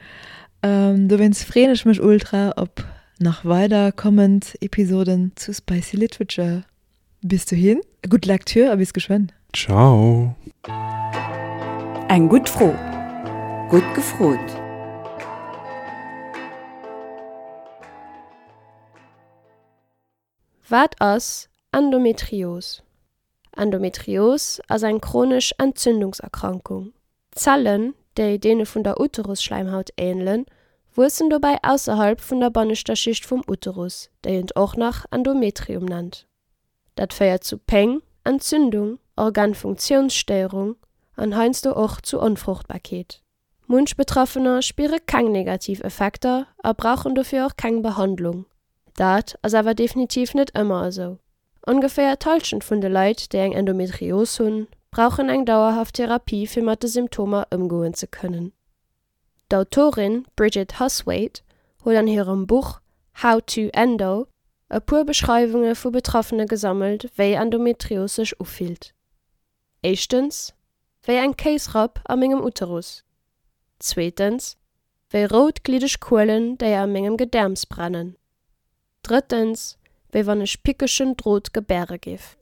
Dowéinst freeën ech mech ultra op nach weider kommend Episoden zu Spicy Literature. Bis dohin, gutt Lecture a bis geschwënn. Ciao. Eng gutt Fro. Gutt gefrot. Wat ass Endometrios? Endometrios ass eng chronesch Entzündungserkrankung. Zellen, déi deene vun der Uterusschläimhaut änelen, wuessen dobäi ausserhalb vun der banneschter Schicht vum Uterus, déi eent och nach Endometrium nennt. Dat féiert zu Péng, Entzündung, Organfunktiounsstéierung an heiansdo och zu Onfruchtbarkeet. Munch Betraffener spiere keng negativ Effekter a brauchen dofir och keng Behandlung. Dat ass awer definitiv net ëmmer esou. Ongeféier d'Hallschent vun de Leit, déi eng Endometrios hunn, brauchen eng dauerhaft Therapie fir mat de Symptomer ëmgoen ze kënnen. D'Autorin Bridget Husthwaite huet an hirem Buch How to Endo e puer Beschreiwunge vu Betraffene gesammelt, wéi Endometrios sech ufillt. Éischtens, wéi eng Kéisrapp a mengem Uterus. Zweetens, wéi rout gliddeg Kuelen, déi a mengem Gedäerms brennen. Drëttens, wéi wann ech pickegen Drot gebäre giff.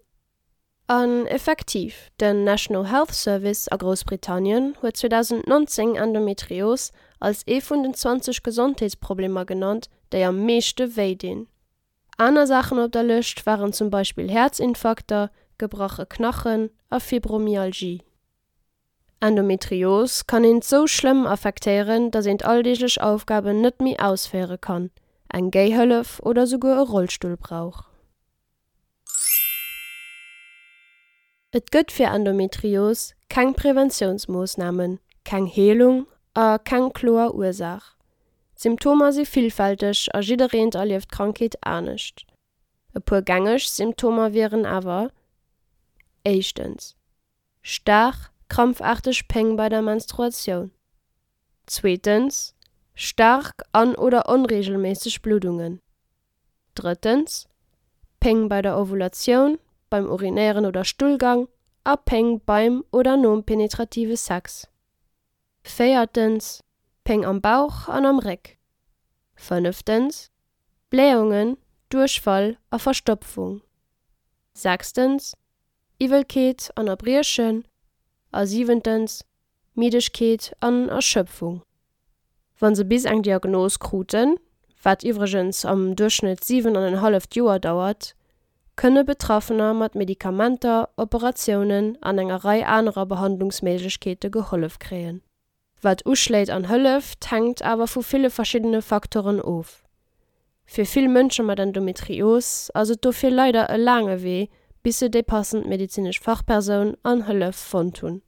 An effektiv, den National Health Service a Groussbritannien huet 2019 Endometrios als ee vun den 20 Gesondheetsproblemer genannt, déi am meeschte wéi dinn. Aner Saachen op der Lëscht waren zum Beispill Häerzinfarkter, gebrache Knachen a Fibromyalgie. Endometrios kann eent sou schlëmm affektéieren, dass eent alldeeglech Aufgaben net méi ausféiere kann, eng Géihëllef oder souguer e Rollstull brauch. Et gëtt fir Endometrios keng Preventiounsmoossnamen, keng Heelung a keng kloer Ursaach. D'Symptomer si villfälteg a jiddereent erlieft d'Krankheet anescht. E puer gängeg Symptomer wieren awer, Éischtens. Staark, krampfaarteg Péng bei der Menstruatioun. Zweetens, staark an oder onreegelméisseg Bluddungen. Drëttens, Péng bei der Ovulatioun, beim Urinéieren oder Stullgang a Péng beim oder nom penetrative Sex. Véiertens, Péng am Bauch an am Réck. Fënneftens, Blähungen, Duerchfall a Verstopfung. Sechstens, Iwwelkeet an Erbriechen a siwentens, Middegkeet an Erschöpfung. Wa se bis eng Diagnos kruten, wat iwwregens am Duerchschnëtt 7 an en halleft Joer dauert, kënne Betraffener mat Medikamenter, Operatiounen an enger Rei anerer Behandlungsméiglechkeete gehollef kréien. Wat uschléit an hëlleft, hänkt awer vu ville verschiddene Facteuren of. Fir vill Mënsche mat Endometrios ass et dofir leider e laange Wee, bis se déi passend medezinesch Fachpersoun an Hëllef fonnt hunn.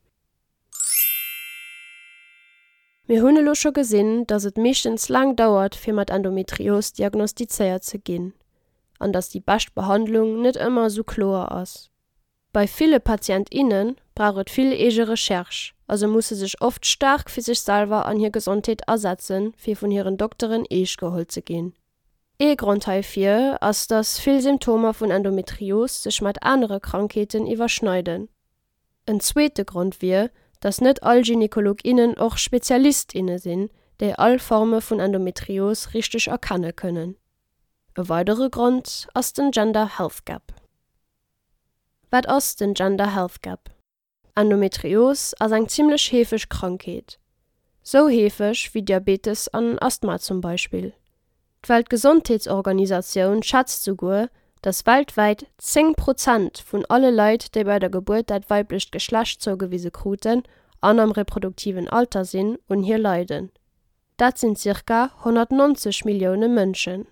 Mir hunn elo scho gesinn, dass et meeschtens laang dauert, fir mat Endometrios diagnostizéiert ze ginn, an dass déi bescht Behandlung net ëmmer esou kloer ass. Bei ville Patient, inne brauch et vill eege Recherche a se musse sech oft staark fir sech selwer an hir Gesondheet asetzen, fir vun hiren Dokteren eescht geholl ze ginn. Ee Grond heifir ass, dass vill Symptomer vun Endometrios sech mat anere Krankheeten iwwerschneiden. En zweete Grond wier, dass net all Gynekolog, innen och Spezialist, inne sinn, déi all Forme vun Endometrios richteg erkenne kënnen. E weidere Grond ass den Gender Health Gap. Wat ass den Gender Health Gap? Endometrios ass eng zimmlech heefeg Krankheet. Sou heefeg wéi Diabetes an Asthma zum Beispill. D'Weltgesondheetsorganisatioun schätzt souguer, dass weltwäit 10 Prozent vun alle Leit, déi bei der Gebuert dat weiblecht Geschlecht zougewise kruten an am reproduktiven Alter sinn, un hir leiden. Dat sinn zirka 190 Millioune Mënschen.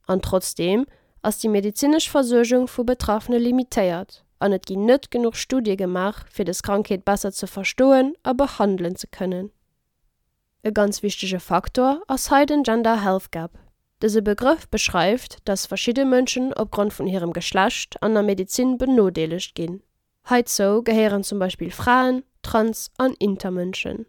An trotzdeem ass déi medezinesch Versuergung vu Betraffene limitéiert an et ginn net genuch Studie gemaach, fir dës Krankheet besser ze verstoen a behandelen ze kënnen. E ganz wichtege Faktor ass hei den Gender Health Gap. Dëse Begrëff beschreift, dass verschidde Mënschen opgrond vun hirem Geschlecht an der Medezin benodeelegt ginn. Heizou gehéieren zum Beispill Fraen, Trans an Intermënschen.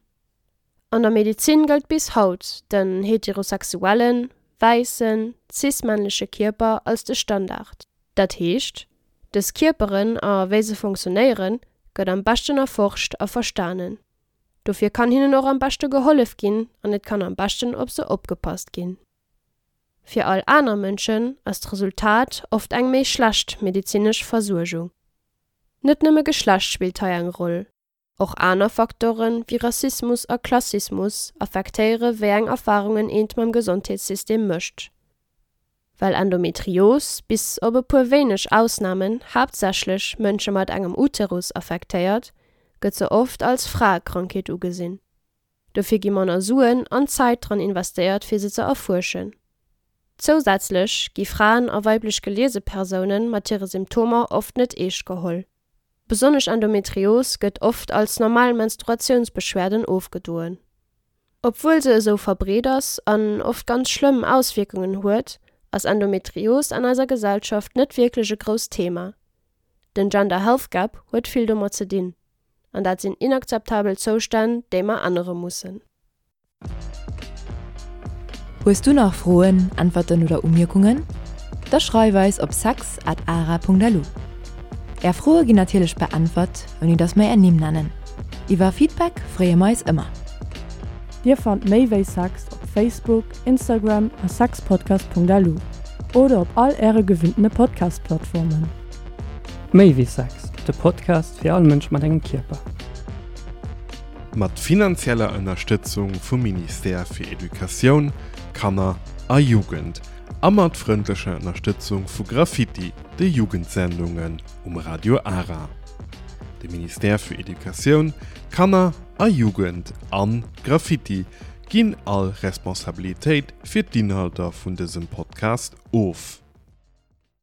An der Medezin gëllt bis haut den heterosexuellen, wäissen, cis-männleche Kierper als de Standard. Dat heescht, dës Kierperen a wéi se funktionéieren, gëtt am beschten erforscht a verstanen. Dofir kann hinnen och am beschte gehollef ginn an et kann am beschten op se opgepasst ginn. Fir all aner Mënschen ass d'Resultat oft eng méi schlecht medezinesch Versuergung. Net nëmme Geschlecht spillt hei eng Roll, och aner Facteure wéi Rassismus a Klassismus affektéiere wéi eng Erfarungen eent mam Gesondheetssystem mécht. Well Endometrios, bis op e puer wéineg Ausnamen, haaptsächlech Mënsche mat engem Uterus affektéiert, gëtt se oft als Fraekrankheet ugesinn. Dofir gi manner Suen an Zäit dran investéiert fir se ze erfuerschen. Zousätzlech gi Fraen a weiblech geliese Persoune mat hire Symptomer oft net eescht geholl. Besonnesch Endometrios gëtt oft als normal Menstruatiounsbeschwerden ofgedoen. Obwuel se esou verbreet ass an oft ganz schlëmm Auswierkungen huet, ass Endometrios an eiser Gesellschaft net wierklech e grousst Thema. Den Gender Health Gap huet vill domat ze dinn. An dat sinn inakzeptabel Zoustänn, déi mer ännere mussen. Hues du nach Froen, Äntwerten oder Umierkungen? Da schreif eis op sex at ara.lu. Är Froe ginn natierlech beäntwert, ouni dass mer är Nimm nennen. Iwwer Feedback freeë mer eis ëmmer. Dir fannt méi wéi Sex op Facebook, Instagram a sexpodcast.lu oder op all äre gewinntene Podcast-Plattformen. Méi wéi Sex, de Podcast fir all Mënsch mat engem Kierper. Mat finanzieller Ënnerstëtzung vum Ministère fir Educatioun, Kanner a Jugend a mat frëndlecher Ënnerstëtzung vu Graffiti, de Jugendsendungen um Radio Ara. De Ministère fir Educatioun, Kanner a Jugend an Graffiti ginn all Responsabilitéit fir d'Inhalter vun dësem Podcast of.